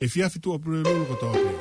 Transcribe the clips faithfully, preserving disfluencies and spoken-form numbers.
efiafi Tuʻapulelulu kotoa pē.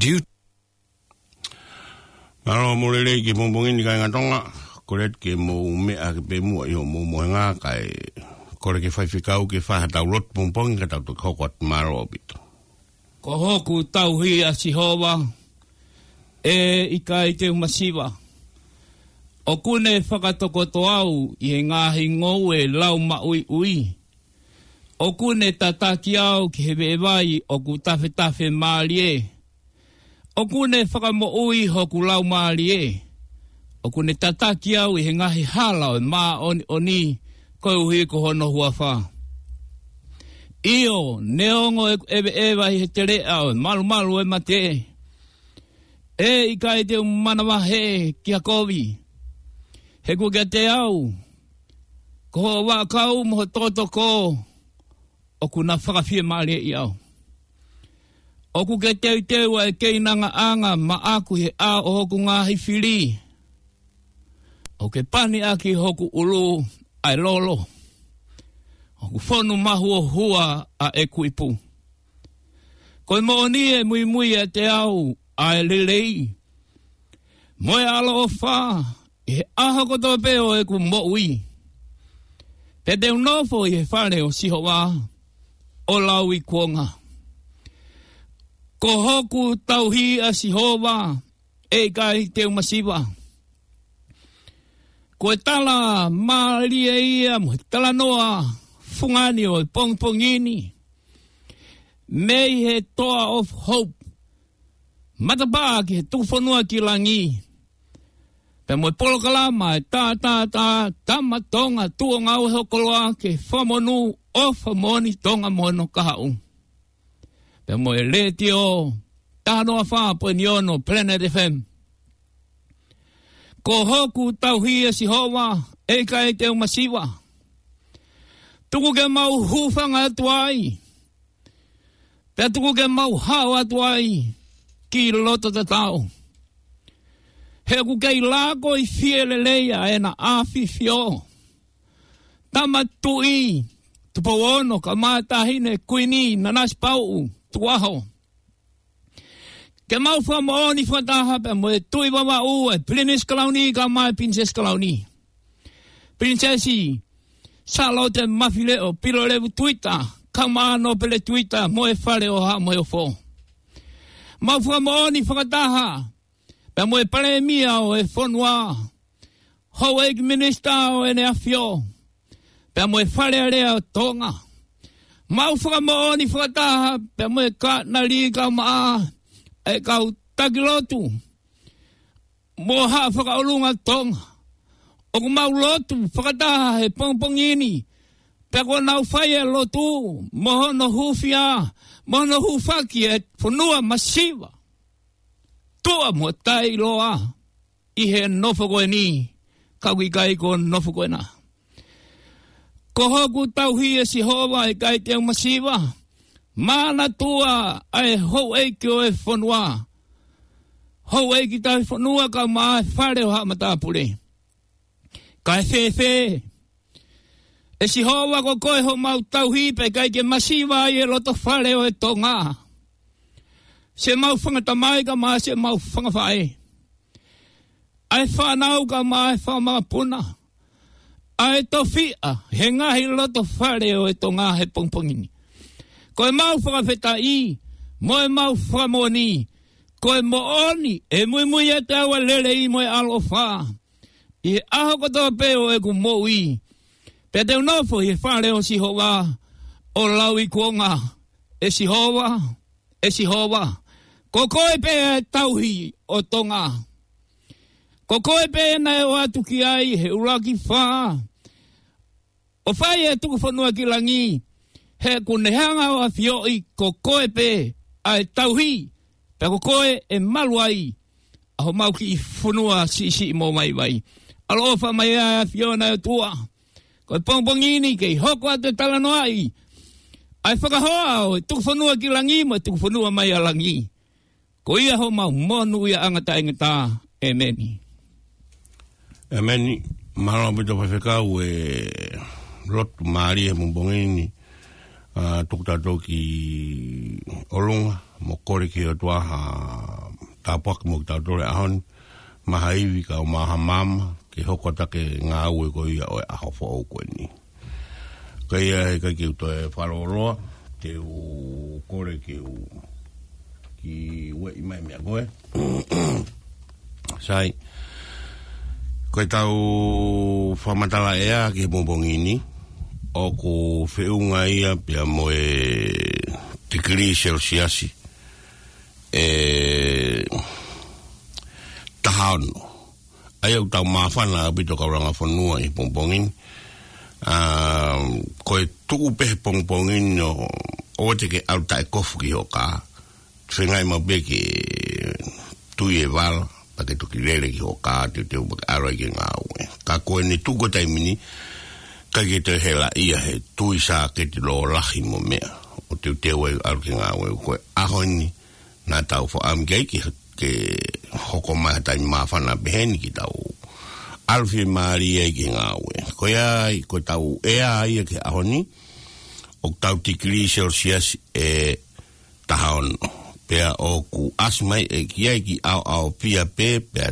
Diu. Mālō mo e lelei ki he pongipongi ni kāinga Tonga, kole ke mou meʻa hake pē muʻa ʻi hoʻomou mohenga kae kole ke faifekau ke fai haʻatau lotu pongipongi ka tau toki hoko atu, mālō ʻaupito. Ko hoku tauhi ʻa Sihova, ʻe ʻikai te u masiva. ʻOku ne fakatokoto au ʻi he ngaahi ngoue lau maʻuiʻui. ʻOku ne tataki au ki he veʻe vai ʻoku tafetafe mālie. ʻOku ne fakamoʻui hoku laumālie. ʻOku ne tataki au ʻi he ngaahi hala ʻo e māʻoniʻoni koeʻuhi ko hono huafa. ʻIo, neongo ʻeku ʻeveʻeva ʻi he teleʻa ʻo e malumalu ʻo e mate, ʻe ʻikai te u manavahē ki ha kovi. He kuo kiate au, ko hoʻo vaʻakau mo ho tokotoko, ʻoku na fakafiemālieʻi au. ʻOku ke teuteu ʻa e keinangaʻanga maʻaku ʻi he ʻao ʻo hoku ngaahi fili. ʻOku ke pani ʻaki hoku ʻulu ʻa e lolo. ʻOku fonu mahuohua ʻa ʻeku ipu. Ko e moʻoni ʻe muimui ʻiate au ʻa e lelei mo e ʻaloʻofa ʻi he ʻaho kotoa pē ʻo ʻeku moʻui. Pea te u nofo ʻi he fale ʻo Sihova ʻo lauikuonga. Ko hoku tauhi ʻa Sihova, ʻe ʻikai te u masiva. Ko e tala mālie ia mo e talanoa fungani ʻo e pongipongi ni, mei he Toa of Hope, matapā ki he tuku fonua ki langi. Pea mo e polokalama ʻa e Tātātā Tama Tonga Tuʻo Ngāue Ho Koloa ke fakamonū ʻofa moʻoni Tonga mo hono kahaʻu. Pea mo e letiō taha noa fā poini ono Planet F M. Ko hoku tauhi ʻa Sihova, ʻe ʻikai te u masiva. Tuku ke mau hūfanga atu ai. Pea tuku ke mau hao atu ai ki loto tatau. He ʻoku kei lākoifie lelei ʻa ʻena ʻAfifio. Tama Tuʻi Tupou Ono, Kamataʻahine Kuini Nanasipauʻu Tukuʻaho. Ke mau fakamoʻoni fakataha pea mo e Tuʻi Vavaʻu, ʻa e Pilinisi Kalauni kae ʻumaʻā e Pilinisesi Kalauni. Pilinisesi Sālote Mafileʻo Pilolevu Tuita, kae ʻumaʻā Nōpele Tuita mo e Fale ʻo Haʻa Moheofo. Mau fakamoʻoni fakataha pea mo e Palēmia ʻo e fonua, Houʻeiki Minisitā ʻo ʻEne ʻAfio, pea mo e Fale Alea ʻo Tonga. Mau fakamoʻoni fakataha pea mo e kānali kae ʻumaʻā e kau taki lotu mo Haʻa Fakaʻolunga Tonga. ʻOku mau lotu fakataha he pongipongi ni, pea kuo nau fai e lotu mo hono hūfia, mo hono hūfaki e fonua masiva. Tuʻa mo taʻeʻiloa ʻi he nofo ko eni, ka ʻoku ʻikai ko e nofo ko ena. Ko hoku tauhi ʻe Sihova, ʻe ʻikai te u masiva. Manatua ʻa e houʻeiki ʻo e fonua, houʻeiki tauhi fonua kae ʻumaʻā e fale ʻo haʻa matāpule. Kae fēfē, ʻe Sihova, ko koe homau tauhi, pea ʻikai ke masiva ai e loto fale ʻo e Tonga. Siʻemau fanga tamai kae ʻumaʻā siʻemau fanga faʻē, ʻa e fānau kae ʻumaʻā e fanga makapuna, ʻa e tofiʻa he ngaahi loto fale ʻo e Tonga he pongipongi ni. Ko ʻemau fakafetaʻi mo ʻemau fakamoʻoni, ko e moʻoni ʻe muimui ʻiate au ʻa e lelei mo e ʻaloʻofa ʻi he ʻaho kotoa pē ʻo ʻeku moʻui, pea te u nofo ʻi he fale ʻo Sihova ʻo lauikuonga. ʻE Sihova, ʻe Sihova, ko koe pē ʻa e tauhi ʻo Tonga. Ko koe pē naʻe ʻoatu ki ai he ʻuluaki fā ʻo fai e tuku fonua ki langi, he kuo ne hanga ʻo ʻafioʻi ko koe pē ʻa e tauhi, pea ko koe ʻe malu ai ʻa homau kiʻi fonua siʻisiʻi mo vaivai. ʻAloʻofa mai ʻa e ʻAfiona ʻe ʻOtua, ko e pongipongi ni kei hoko atu e talanoaʻi ʻa e fakahoa ʻo e tuku fonua ki langi mo e tuku fonua mai ʻa langi. Ko ia homau monūʻiaʻanga taʻengata. ʻEmeni. ʻEmeni. Mālō ʻaupito Faifekau e lotu mālie he pongipongi ni. ʻA, tuku tautolu ki ʻolunga mo kole ki he ʻOtua ha tāpuaki mo kitautolu he ʻaho ni. Maha ivi kae ʻumaʻā ha maama, ke hoko atu ʻa e ngāue ko ia ʻo e ʻaho foʻou ko eni. Ka ʻi ai ha ʻikai ke u toe fakalōloa, te u kole ke u kiʻi ueʻi mai meia koe. Sai, ko ʻetau fakamatala ʻea ki he pongipongi ni, ʻoku feʻunga ia pea mo e tikilī selesiasi ʻe taha ono. ʻA ia ʻoku tau māfana ʻaupito kau langa fonua ʻi he pongipongi ni. ʻA, ko e tuʻu pē he pongipongi ni ʻo, ʻoua te ke ʻalu taʻekofu ki ho kā. Feinga maʻu pē ke tui e vala, pea ke toki lele ki ho kā, teuteu pea ke ʻalu ai ki he ngāue. Ka ko ʻene tuʻu ko e taimi ni, ʻikai ke toe hela ia he tui sāketi lōlahi mo meʻa, ʻo teuteu ai ʻalu ki he ngāue. Ko e ʻaho ni, naʻa tau fakaʻamu ki ai ke, ke hoko mai ha taimi māfana pehē ni ke tau ʻalu fiemālie ai ki he ngāue. Ko ia ai, ko ʻetau ʻea ia ki he ʻaho ni, ʻoku tau tikilī selesiasi ʻe taha ono. Pea ʻoku ʻasi mai ʻe ki ai ki ʻaoʻaopia pē, pea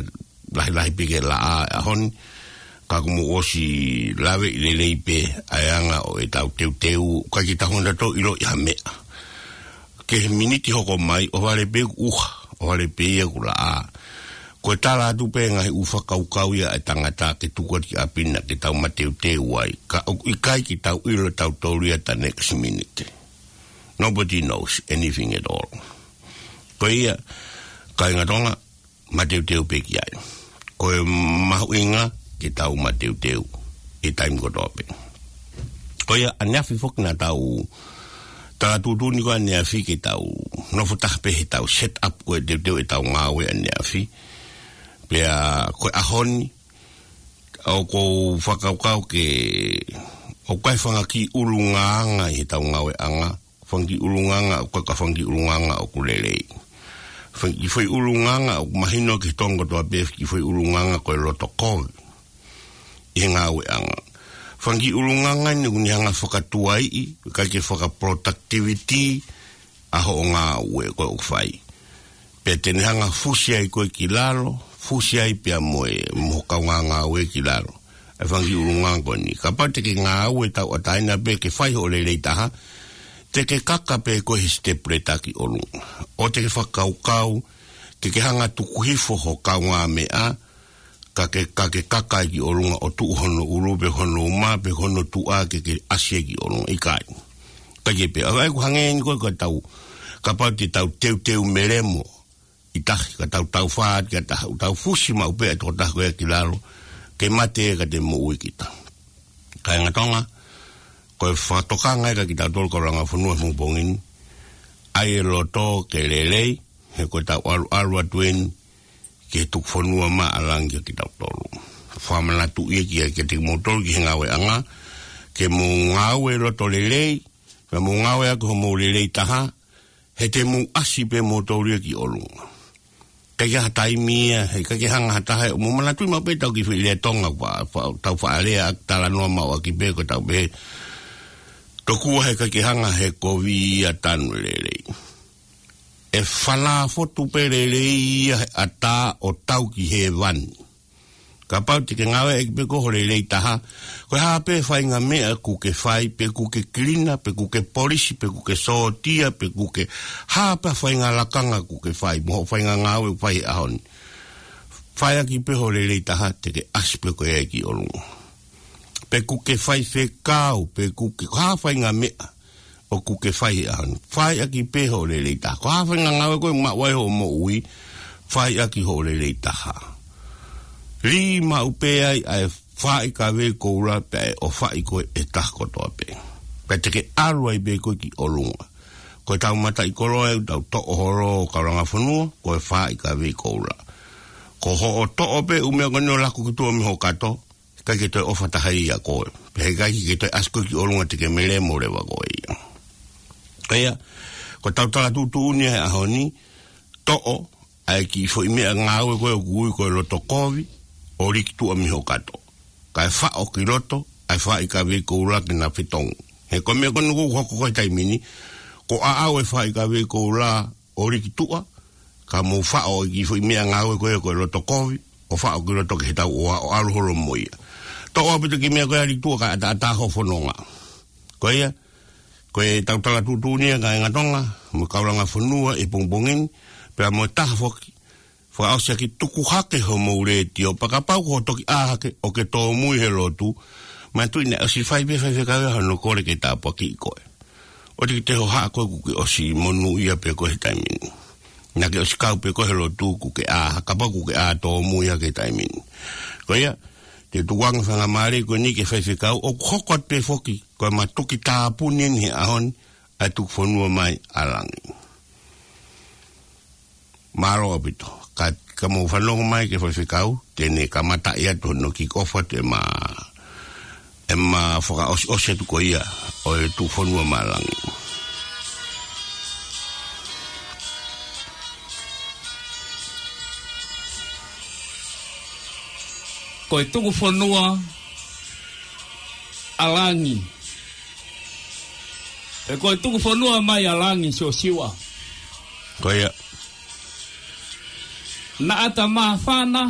lahilahi pē ke laʻā he ʻaho ni, ka kuo mou ʻosi lave ʻi lelei pē ʻa e anga ʻo ʻetau teuteu, ʻikai ke tau hanga tautolu ʻo ʻiloʻi ha meʻa. Ki he miniti hoko mai, ʻohovale pē ʻoku ʻuha, ʻohovale pē ia ʻoku laʻā. Ko e tala atu pē ngaahi ʻū fakakaukau ia ʻa e tangata ke tuku atu ki ʻapi na ke tau mateuteu ai. Ka ʻoku ʻikai ke tau ʻilo ʻe tautolu ia the next minute. Nobody knows anything at all. Ko ia, kāinga Tonga, mateuteu pē ki ai. Ko e mahuʻinga ke tau mateuteu ʻi he taimi kotoa pē. Ko ia, ʻaneafi foki naʻa tau tala tuʻutuʻuni ko ʻaneafi ke tau nofo taha pē he tau set up ko e teuteu ʻetau ngāue ʻaneafi. Pea ko e ʻaho ni, ʻoku ou fakakaukau ke, ʻoku ʻi ai e fanga kiʻi ʻulungaanga ʻi heʻetau ngāueʻanga, fanga kiʻi ʻulungaanga, ʻoku ʻikai ko e fanga kiʻi ʻulungaanga ʻoku lelei. Fanga kiʻi foʻi ʻulungaanga ʻoku mahino ki he Tonga kotoa pē, kiʻi foʻi ʻulungaanga ko e loto kovi ʻi he ngāueʻanga. Fanga kiʻi ʻulungaanga ni ʻoku ne hanga fakatuaiʻi, ʻikai ke fakaproductivity ʻa hoʻo ngāue ko ē ʻoku fai. Pea te ne hanga fusi ai koe ki lalo, fusi ai pea mo e, mo ho kaungāngāue ki lalo. ʻA e fanga kiʻi ʻulungaanga ko eni. Kapau te ke ngāue tauʻatāina pē ke fai hoʻo lelei taha, te ke kaka pē koe he step ladder ki ʻolunga. ʻO te ke fakakaukau, ke ke hanga tuku hifo ho kaungāmeʻa, ka ke, ka ke kaka ai ki ʻolunga ʻo tuʻu hono ʻulu pe hono uma pe hono tuʻa ke ke ʻasi ai ki ʻolunga. ʻIkai. Taki pē, ʻa ē ʻoku hangē ni ko ē ka tau, kapau te tau teuteu melemo ʻi tahi, ka tau taufā atu ki ha taha, ʻoku tau fusi maʻu pē ʻa e tokotaha ko ia ki lalo, ke mate ka te moʻui kita. Kāinga Tonga, ko e fakatokanga ia kia kitautolu kau langa fonua he pongipongi ni, ʻai e loto ke lelei, he ko ʻetau ʻaluʻalu atu eni ki he tuku fonua maʻa langi kia kitautolu. Fakamanatu ia kia, kiate kimoutolu ki he ngāueʻanga, ke mou ngāue loto lelei, pea mou ngāue ʻaki hoʻomou lelei taha, he te mou ʻasi pē moutolu ia ki ʻolunga. ʻIkai ke ʻi ai ha taimi ia, he ʻikai ke hanga ha taha, mou manatuʻi maʻu pē ʻetau kiʻi foʻi lea Tonga fa-, fa-, tau faʻa lea ʻaki, talanoa maʻu ʻaki pē ko ʻetau pehē, tokua he ʻikai ke hanga he kovi ia ʻo tanu lelei. ʻE falafotu pē lelei ia he ʻatā ʻo tau ki hēvani. Kapau te ke ngāueʻaki pē koe ho lelei taha, ko e hā pē faʻahinga meʻa ʻoku ke fai, pe ʻoku ke kilina, pe ʻoku ke polisi, pe ʻoku ke sōtia, pe ʻoku ke hā pē faʻahinga lakanga ʻoku ke fai, mo hoʻo faʻahinga ngāue ʻoku fai he ʻaho ni. Fai ʻaki pē ho lelei taha, te ke ʻasi pē koe ia ki ʻolunga. Pe ʻoku ke faifekau, pe ʻoku ke, ko e hā faʻahinga meʻa ʻoku ke fai he ʻaho ni. Fai ʻaki pē ho lelei taha. Ko e hā faʻahinga ngāue ko ē ʻoku maʻu ai hoʻo moʻui, fai ʻaki ho lelei taha. Lī maʻu pē ai ʻa e faaʻi kavei koula pea ʻe ʻofaʻi koe ʻe he taha kotoa pē. Pea te ke ʻalu ai pē koe ki ʻolunga. Ko ʻetau mataʻikoloa ʻoku tau toʻo holo kau langa fonua, ko e faaʻi kavei koula. Ko hoʻo toʻo pē ʻū meʻa ko eni ʻo laku ki tuʻa mei ho kato, ʻikai ke toe ʻofa taha ia ʻia koe. Pea he ʻikai ke toe ʻasi koe ki ʻolunga, te ke melemo leva koe ia. Ka ia, ko ʻetau tala tuʻutuʻuni ia he ʻaho ni, toʻo ʻa e kiʻi foʻi meʻangāue ko ē ʻoku ui ko e loto kovi, ʻo liki tuʻa mei ho kato. Kae faʻo ki loto ʻa e faaʻi kavei koula ke na fetongi. He ko e meʻa ko eni ʻoku hoko ko ē he taimi ni, ko e ʻaʻau e faaʻi kavei koula ʻo liki tuʻa, ka mou faʻo e kiʻi foʻi meʻangāue ko ē ko e loto kovi, ʻo faʻo ki loto ki he tauʻoa ʻo ʻalu holo mo ia. Toʻo ʻaupito e kiʻi meʻa ko ē ʻa liki tuʻa kae ʻataʻatā hoʻo fononga. Ko ia, ko ʻetau tala tuʻutuʻuni ia kāinga Tonga, mo e kau langa fonua he pongipongi ni, pea mo e taha foki, fakaʻosi ʻaki, tuku hake hoʻomou letiō, pea kapau ko hoʻo toki ʻā hake ʻo ke tōmui he lotu, manatuʻi naʻe ʻosi fai pē faifekau ia hono kole ke tāpuakiʻi koe. ʻOua te ke toe hohaʻa koe kuo ke ʻosi monūʻia pē koe he taimi ni. Naʻa ke ʻosi kau pē koe he lotu kuo ke ʻā, kapau kuo ke ʻā tōmui hake he taimi ni. Ko ia, te u tukuange faingamālie ko eni ki he faifekau, ʻoku hoko atu pē foki, ko e matuki tāpuni eni he ʻaho ni, ʻa e tuku fonua mai ʻa langi. Mālō ʻaupito. Ka, ka mou fanongo mai ki he faifekau, te ne kamataʻi atu hono kiʻi ʻofa atu ʻema, ʻema fakaʻosiʻosi atu ko ia ʻo e tuku fonua maʻa langi. Ko e tuku fonua ʻa langi. He ko e tuku fonua mai ʻa langi, Siosiua. Ko ia. Naʻa ta māfana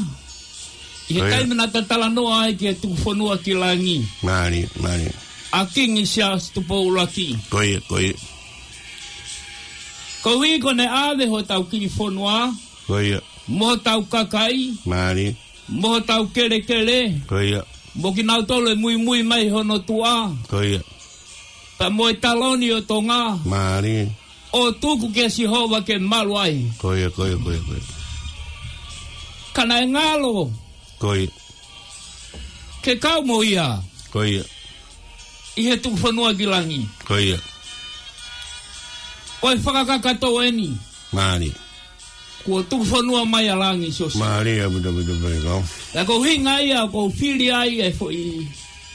ʻi he Ko ia. taimi naʻa ta talanoa ai ki he tuku fonua ki langi. Mālie, mālie. ʻA Kingi Siaosi Tupou ʻUluaki. Ko ia, ko ia. Koeʻuhi ko ʻene ʻave hotau kiʻi fonua. Ko ia. Mo hotau kakai. Mālie. Mo hotau kelekele. Ko ia. Mo kinautolu ʻe muimui mai hono tuʻa. Ko ia. Pea mo e taloni ʻo Tonga. Mālie. ʻO tuku kia Sihova ke malu ai. Ko ia, ko ia, ko ia, ko ia. Ka naʻe ngalo. Ko ia. Ke kau mo ia. Ko ia. ʻI he tuku fonua ki langi. Ko ia. Ko e fakakakato eni. Mālie. Kuo tuku fonua mai ʻa langi, Siosiua. Mālie ʻaupito, ʻaupito pē kau. Ka ko e ʻuhinga ia ʻoku ou fili ai e foʻi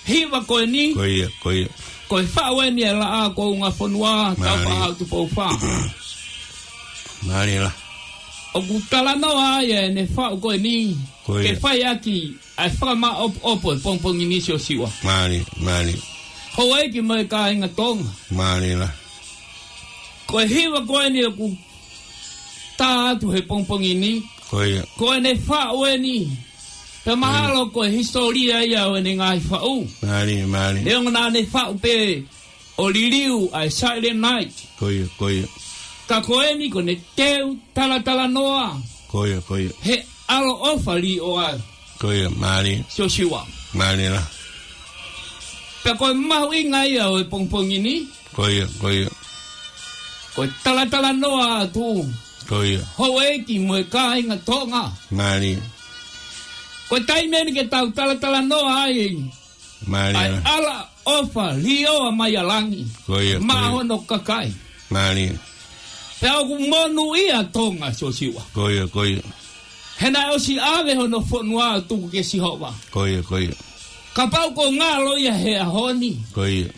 hiva ko eni. Ko ia, ko ia. Ko e faʻu eni e laʻā ko Ungafonua, Mālie. Taufaʻahau Tupou Fā. Mālie lahi. ʻOku talanoa ai ʻene faʻu ko eni. Ko ia. Ke fai ʻaki ʻa e fakamaʻopoʻopo he pongipongi ni, Siosiua. Mālie, mālie. Houʻeiki mo e kāinga Tonga. Mālie lahi. Ko e hiva ko eni ʻoku tā atu he pongipongi ni. Ko ia. Ko ʻene faʻu eni. Pea mahalo Mālie. Ko e hisitōlia ia ʻo ʻene ngaahi faʻu. Mālie, mālie. Neongo naʻa ne faʻu pē ʻo liliu ʻa e Silent Night. Ko ia, ko ia. Ka ko eni ko ʻene teu talatalanoa. Ko ia, ko ia. He ʻaloʻofa līʻoa. Ko ia, mālie. Siosiua. Mālie lahi. Pea ko e mahuʻinga ia ʻo e pongipongi ni. Ko ia, ko ia. Ko e talatalanoa atu. Ko ia. Houʻeiki mo e kāinga Tonga. Mālie. Ko e taimi eni ke tau talatalanoa ai. Mālie. ʻA e ʻaloʻofa līʻoa mai ʻa langi. Ko ia, ko ia. Maʻa hono kakai. Mālie. Pea ʻoku monūʻia Tonga Siosiua. Ko ia, ko ia. He naʻe ʻosi ʻave hono fonua ʻo tuku kia Sihova. Ko ia, ko ia. Kapau ʻoku ngalo ia he ʻaho ni. Ko ia.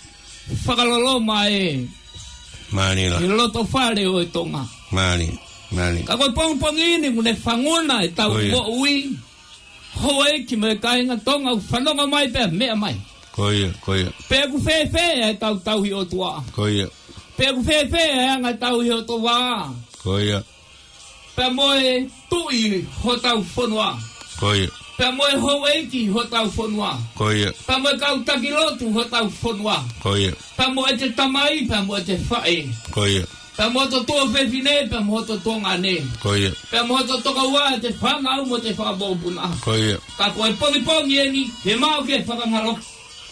Fakaloloma ē. Mālie la. He loto fale ʻo e Tonga. Mālie, mālie. Ka ko e pongipongi ni ʻoku ne fanguna ʻetau Ko ia. moʻui. Houʻeiki mo e kāinga Tonga ʻoku fanongo mai pea meʻa mai. Ko ia, ko ia. Pe ʻoku fēfē ʻetau tauhi ʻOtua. Ko ia. Pe ʻoku fēfē ʻa e anga tauhi ʻOtua. Ko ia. Pea mo e tuʻi hotau fonua. Ko ia. Pea mo e houʻeiki hotau fonua. Ko ia. Pea mo e kau taki lotu hotau fonua. Ko ia. Pea mo ʻete tamai, pea mo ʻete faʻē. Ko ia. Pea mo hoto tuofefine, pea mo hoto tuongaʻane. Ko ia. Pea mo hoto tokoua, ʻete fānau mo ʻete fakamoʻupunaʻa. Ko ia. Ka ko e pongipongi eni, he maʻu ke fakangaloki.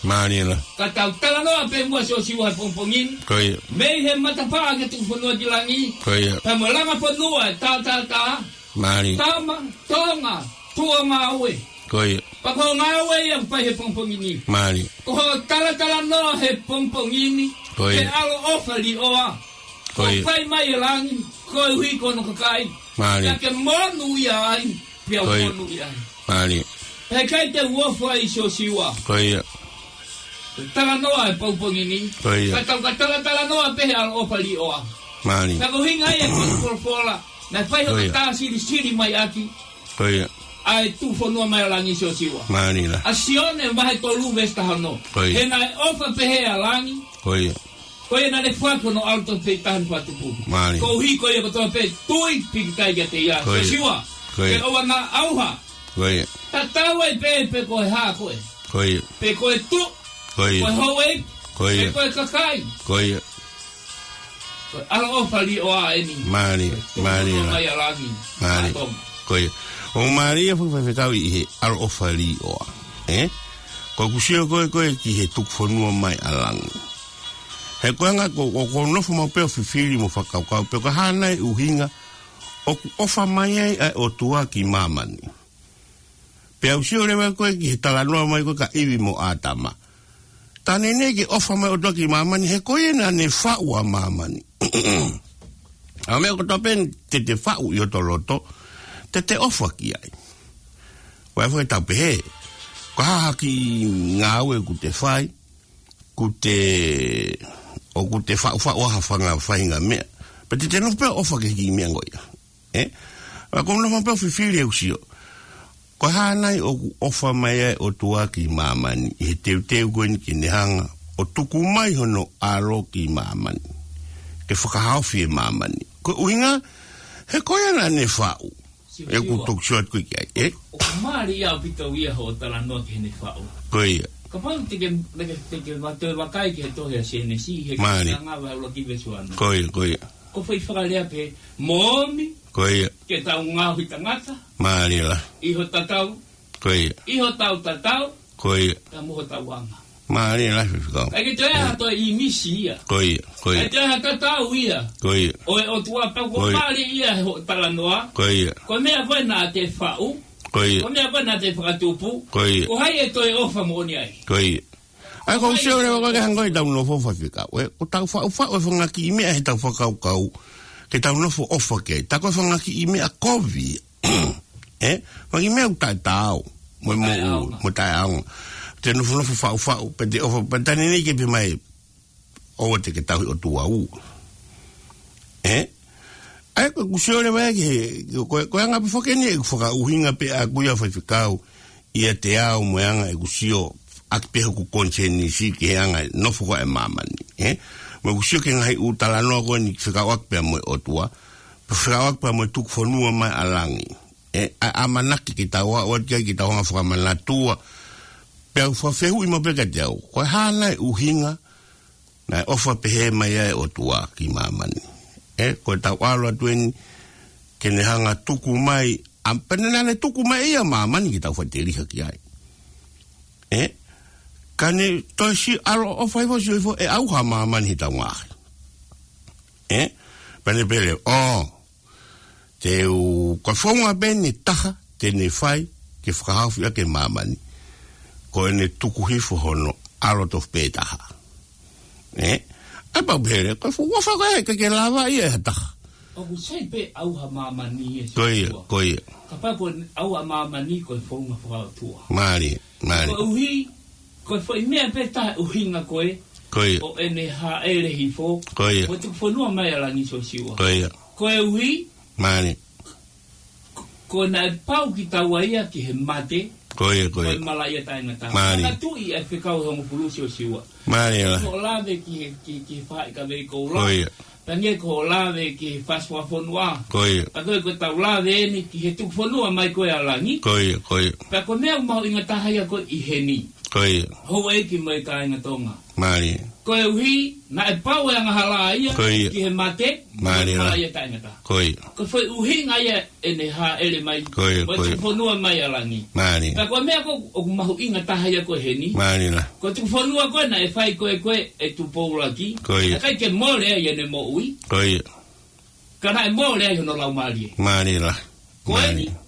Mālie la. Ka tau talanoa pē muʻa Siosiua he pongipongi ni. Ko ia. Mei he matapā ki he tuku fonua ki langi. Ko ia. Pea mo e langa fonua ʻe tātātā. Mālie. Tama, Tonga, tuʻu ʻo ngāue. Ko ia. Pea ko e ngāue ia ʻoku fai he pongipongi ni. Mālie. Ko hoʻo talatalanoa he pongipongi ni. Ko ia. He ʻaloʻofa līʻoa. Ko ia. ʻOku fai mai ʻe langi, koeʻuhi ko hono kakai. Mālie. Pea ke monūʻia ai. Pea Ko ia. monūʻia ai. Mālie. He ʻikai te u ofo ai Siosiua. Ko ia. Talanoa he pongipongi ni. Ko ia. Ka tau ka talatalanoa pē he ʻaloʻofa līʻoa. Mālie. Ka ko e ʻuhinga ia ko e folofola. Naʻe fai Ko hono ia. tā silisili mai ʻaki. Ko ia. ʻA e tuku fonua mai ʻa langi Siosiua. Mālie la. ʻA Sione vahe tolu veesi taha ono. Ko ia. He naʻe ʻofa pehē ʻa langi. Ko ia. Ko ia naʻa ne foaki hono ʻAlo tofu pē taha ne fakatupu. Mālie. Koeʻuhi ko ia kotoa pē tui pīkitai kiate ia. Ko ia. Siosiua. Ko ia. Ke ʻoua naʻa ʻauha. Ko ia. Tatau ai pē pe ko e hā koe. Ko ia. Pe ko e tuʻi. Ko ia. Ko e houʻeiki. Ko ia. Pe ko e kakai. Ko ia. Ko e ʻaloʻofa līʻoa eni. Mālie, Tuku mālie fonua la. mai ʻa langi. Mālie. ʻA Tonga. Ko ia. ʻOku mālie foki Faifekau ʻi he ʻaloʻofa līʻoa. Ē? Ko ʻeku sio ko ē ko ē ki he tuku fonua mai ʻa langi. He ko e anga ko, ko, ko e nofo maʻu pē ʻo fifili mo fakakaukau pē ko e hā nai ʻuhinga ʻoku ʻofa mai ai ʻa e ʻOtua ki māmani. Pea u sio leva ko ē ki he talanoa mai ko ē kia ʻIvi mo ʻĀtama. Tā neʻineʻi ke ʻofa mai ʻOtua ki māmani, he ko ia naʻa ne faʻu ʻa māmani. ʻA e meʻa kotoa pē te te faʻu ʻi hoto loto, te te ʻofa ki ai. Ko e foʻi tau pehē, ko e hā ha kiʻi ngāue ʻoku te fai, ʻoku te, ʻoku te faʻufaʻu ʻa ha fanga faʻahinga meʻa. Pea te te nofo pē ʻo ʻofa ki he kiʻi meʻa ko ia. Ē? Pea ko e nofo pē ʻo fifili ʻeku sio. Ko e hā nai ʻoku ʻofa mai ai ʻOtua ki māmani, ʻi he teuteu ko eni ke ne hanga ʻo tuku mai hono ʻAlo ki māmani. Ke fakahaofi ʻe māmani. Ko e ʻuhinga, he ko ia naʻa ne faʻu. Siosiua. ʻOku ou toki sio atu ko ē ki ai, ē? ʻOku mālie ʻaupito ia hoʻo talanoa ki heʻene faʻu. Ko ia. Kapau te ke, te ke, te ke vakai ki he tohi ʻa Sēnesi, he Mālie. Kāinga vahe ʻuluaki veesi ua noa. Ko ia, ko ia. Ko e foʻi fakalea pē, mo omi, Ko ia. ke tau ngaohi tangata. Mālie la. ʻI ho tatau. Ko ia. ʻI hotau tatau. Ko ia. Pea mo hotau anga. Mālie la Faifekau. ʻIkai ke toe ʻi ai ha toe ʻīmisi ia. Ko ia, ko ia. ʻIkai toe ʻi ai ha tatau ia. Ko ia. ʻO e ʻOtua pea ko Ko ia. mālie ia he hoʻo talanoa. Ko ia. Ko e meʻa ko ē naʻa te faʻu. Ko ia. Ko e meʻa ko ē naʻa te fakatupu. Ko ia. Ko hai ʻe toe ʻofa moʻoni ai. Ko ia. ʻA ia ʻoku ou sio leva ko ē ki he anga ʻetau nofo Faifekau. Ē, ʻoku tau faʻufaʻu e fanga kiʻi meʻa heʻetau fakakaukau. Ke tau nofo ʻofa ki ai. Tā ko e fanga kiʻi meʻa kovi. Ē, fanga kiʻi meʻa ʻoku taʻetaau. Mo e moʻui, Taʻeʻaonga. mo taʻeʻaonga. Te nofonofo faʻufaʻu, pea te ʻofa, pea tā neʻineʻi ke pehē mai, ʻoua te ke tauhi ʻOtua ʻū. Ē? ʻA ia ʻoku ou sio leva ki he, ko, ko e anga pē foki eni ʻeku fakaʻuhinga pē ʻaʻaku ia Faifekau, ʻiate au mo e anga ʻeku sio, ʻaki pē hoku konisēnisi ki he anga e nofo ko ē ʻa māmani. Ē? Mo ʻeku sio ki he ngaahi ʻū talanoa ko eni fekauʻaki pea mo e ʻOtua, fekauʻaki pea mo e tuku fonua mai ʻa langi. Ē, ʻa, ʻamanaki ke tau aʻu atu ki ai ke tau hanga fakamanatua. Pea u fakafehuʻi maʻu pē kiate au. Ko e hā nai ʻuhinga, naʻe ʻofa pehē mai ai ʻOtua ki māmani. Ē, ko ʻetau ʻalu atu eni, ke ne hanga tuku mai, ʻa, pea naʻa ne tuku mai ia māmani ke tau faʻiteliha ki ai. Ē, Ka ne toe sio ʻaloʻofa hifo, sio hifo ʻe ʻauha māmani he taungaʻaki. Ē? Pea ne pehē leva, ʻō, te u, ko e founga pē ʻe taha te ne fai ke fakahaofi ʻaki e māmani, ko ʻene tuku hifo hono ʻAlo tofu pē taha. Ē? ʻAi pau pehē leva, ko e founga faka-, ʻikai ke lava ia ʻe ha taha. ʻOku sai pē ʻauha māmani ē. Ko ia, Sōsiua. Ko ia. Kapau ko e ʻauha māmani ko e founga fakaʻotua. Mālie, mālie. Koeʻuhi, ko e foʻi meʻa pē taha ʻuhinga ko ē. Ko ia. ʻO ʻene hāʻele hifo. Ko ia. Mo tuku fonua mai ʻa langi Sōsiua. Ko ia. Koeʻuhi. Mālie. Ko, ko naʻe pau ke tau ʻai ia ki he mate. Ko ia, ko ia. Ko e malaʻia taʻengata. Mālie. Manatuʻi ʻa e fekau ʻe hongofulu Sōsiua. Mālie la. Ko e lave ki he, ki, ki he faʻahi kavei koula. Ko ia. Pea ngali ko e lave ki he fakafofonua. Ko ia. Pea ko e, ko ʻetau lave eni ki he tuku fonua mai ko ē ʻa langi. Ko ia, ko ia. Pea ko e meʻa mahuʻinga taha ia ko ē ʻi heni. Ko ia. Houʻeiki mo e kāinga Tonga. Mālie. Koeʻuhi, naʻe pau e angahala ia. Ko ia. Ki he mate. Mālie la. Malaʻia taʻengata. Ko ia. Ko e foʻi ʻuhinga ia ʻene hāʻele mai. Ko ia, mo ko ia. Tuku fonua mai ʻa langi. Mālie. Pea ko e meʻa ko ē ʻoku mahuʻinga taha ia ko ē heni. Mālie la. Ko e tuku fonua ko ē naʻe fai ko ē ko ē ʻe Tupou ʻUluaki. Ko ia. ʻIkai ke mole ai ʻene moʻui. Ko ia. Ka naʻe mole ai hono laumālie. Mālie la. Ko eni. Mālie.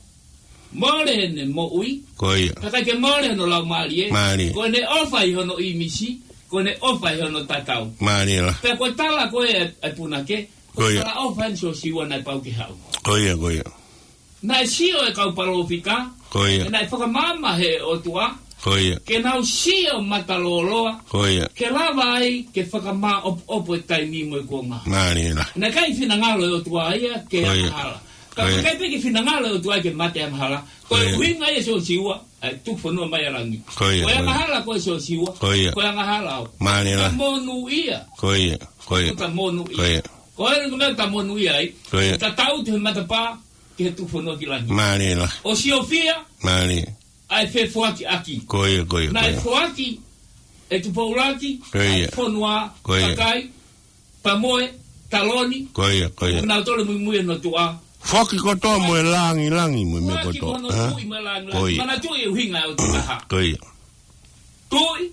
Mole ʻene moʻui. Ko ia. Ka ʻikai ke mole hono laumālie. Mālie. Ko ʻene ʻofa ʻi hono ʻīmisi. Ko ʻene ʻofa ʻi hono tatau. Mālie la. Pea ko e tala ko ē ʻa e punake. Ko ia. Ko e talaʻofa eni Sōsiua naʻe pau ke haʻu. Ko ia, ko ia. Naʻe sio e kau palōfita. Ko ia. Naʻe fakamaama he ʻOtua. Ko ia. Ke nau sio matalōloa. Ko ia. Ke lava ai, ke fakamāʻopoʻopo e taimi mo e kuonga. Mālie la. Naʻe ʻikai finangalo e ʻOtua ia ke angahala. Ko ia. Ka ʻikai pē ke finangalo e ʻOtua ke mate angahala. Ko ia. Ko e ʻuhinga ia Sōsiua, ʻa e tuku fonua mai ʻa langi. Ko ia, ko ia. Ko e angahala ko ē Sōsiua. Ko ia. Ko e angahala ʻoku. Mālie la. Ta monūʻia. Ko ia, ko ia. Ta monūʻia. Ko ia. Ko e ʻuhinga meʻa ta monūʻia ai. Ko ia. Ta tau te matapā, ki he tuku fonua ki langi. Mālie la. ʻO siofia. Mālie. ʻA e fefoakiʻaki. Ko ia, ko ia, ko ia. Naʻe foaki ʻe Tupou ʻUluaki. Ko ia. ʻA e fonua. Ko ia. Kakai. Pea mo e taloni. Ko ia, ko ia. Naʻa nau tole muimui ʻa e ʻOtua. Foaki kotoa mo e langilangi mo e meʻa kotoa. Foaki mo e tuʻi mo e langilangi. Ko ia. Manatuʻi e ʻuhinga ʻo e tuʻi taha. Ko ia. Tuʻi,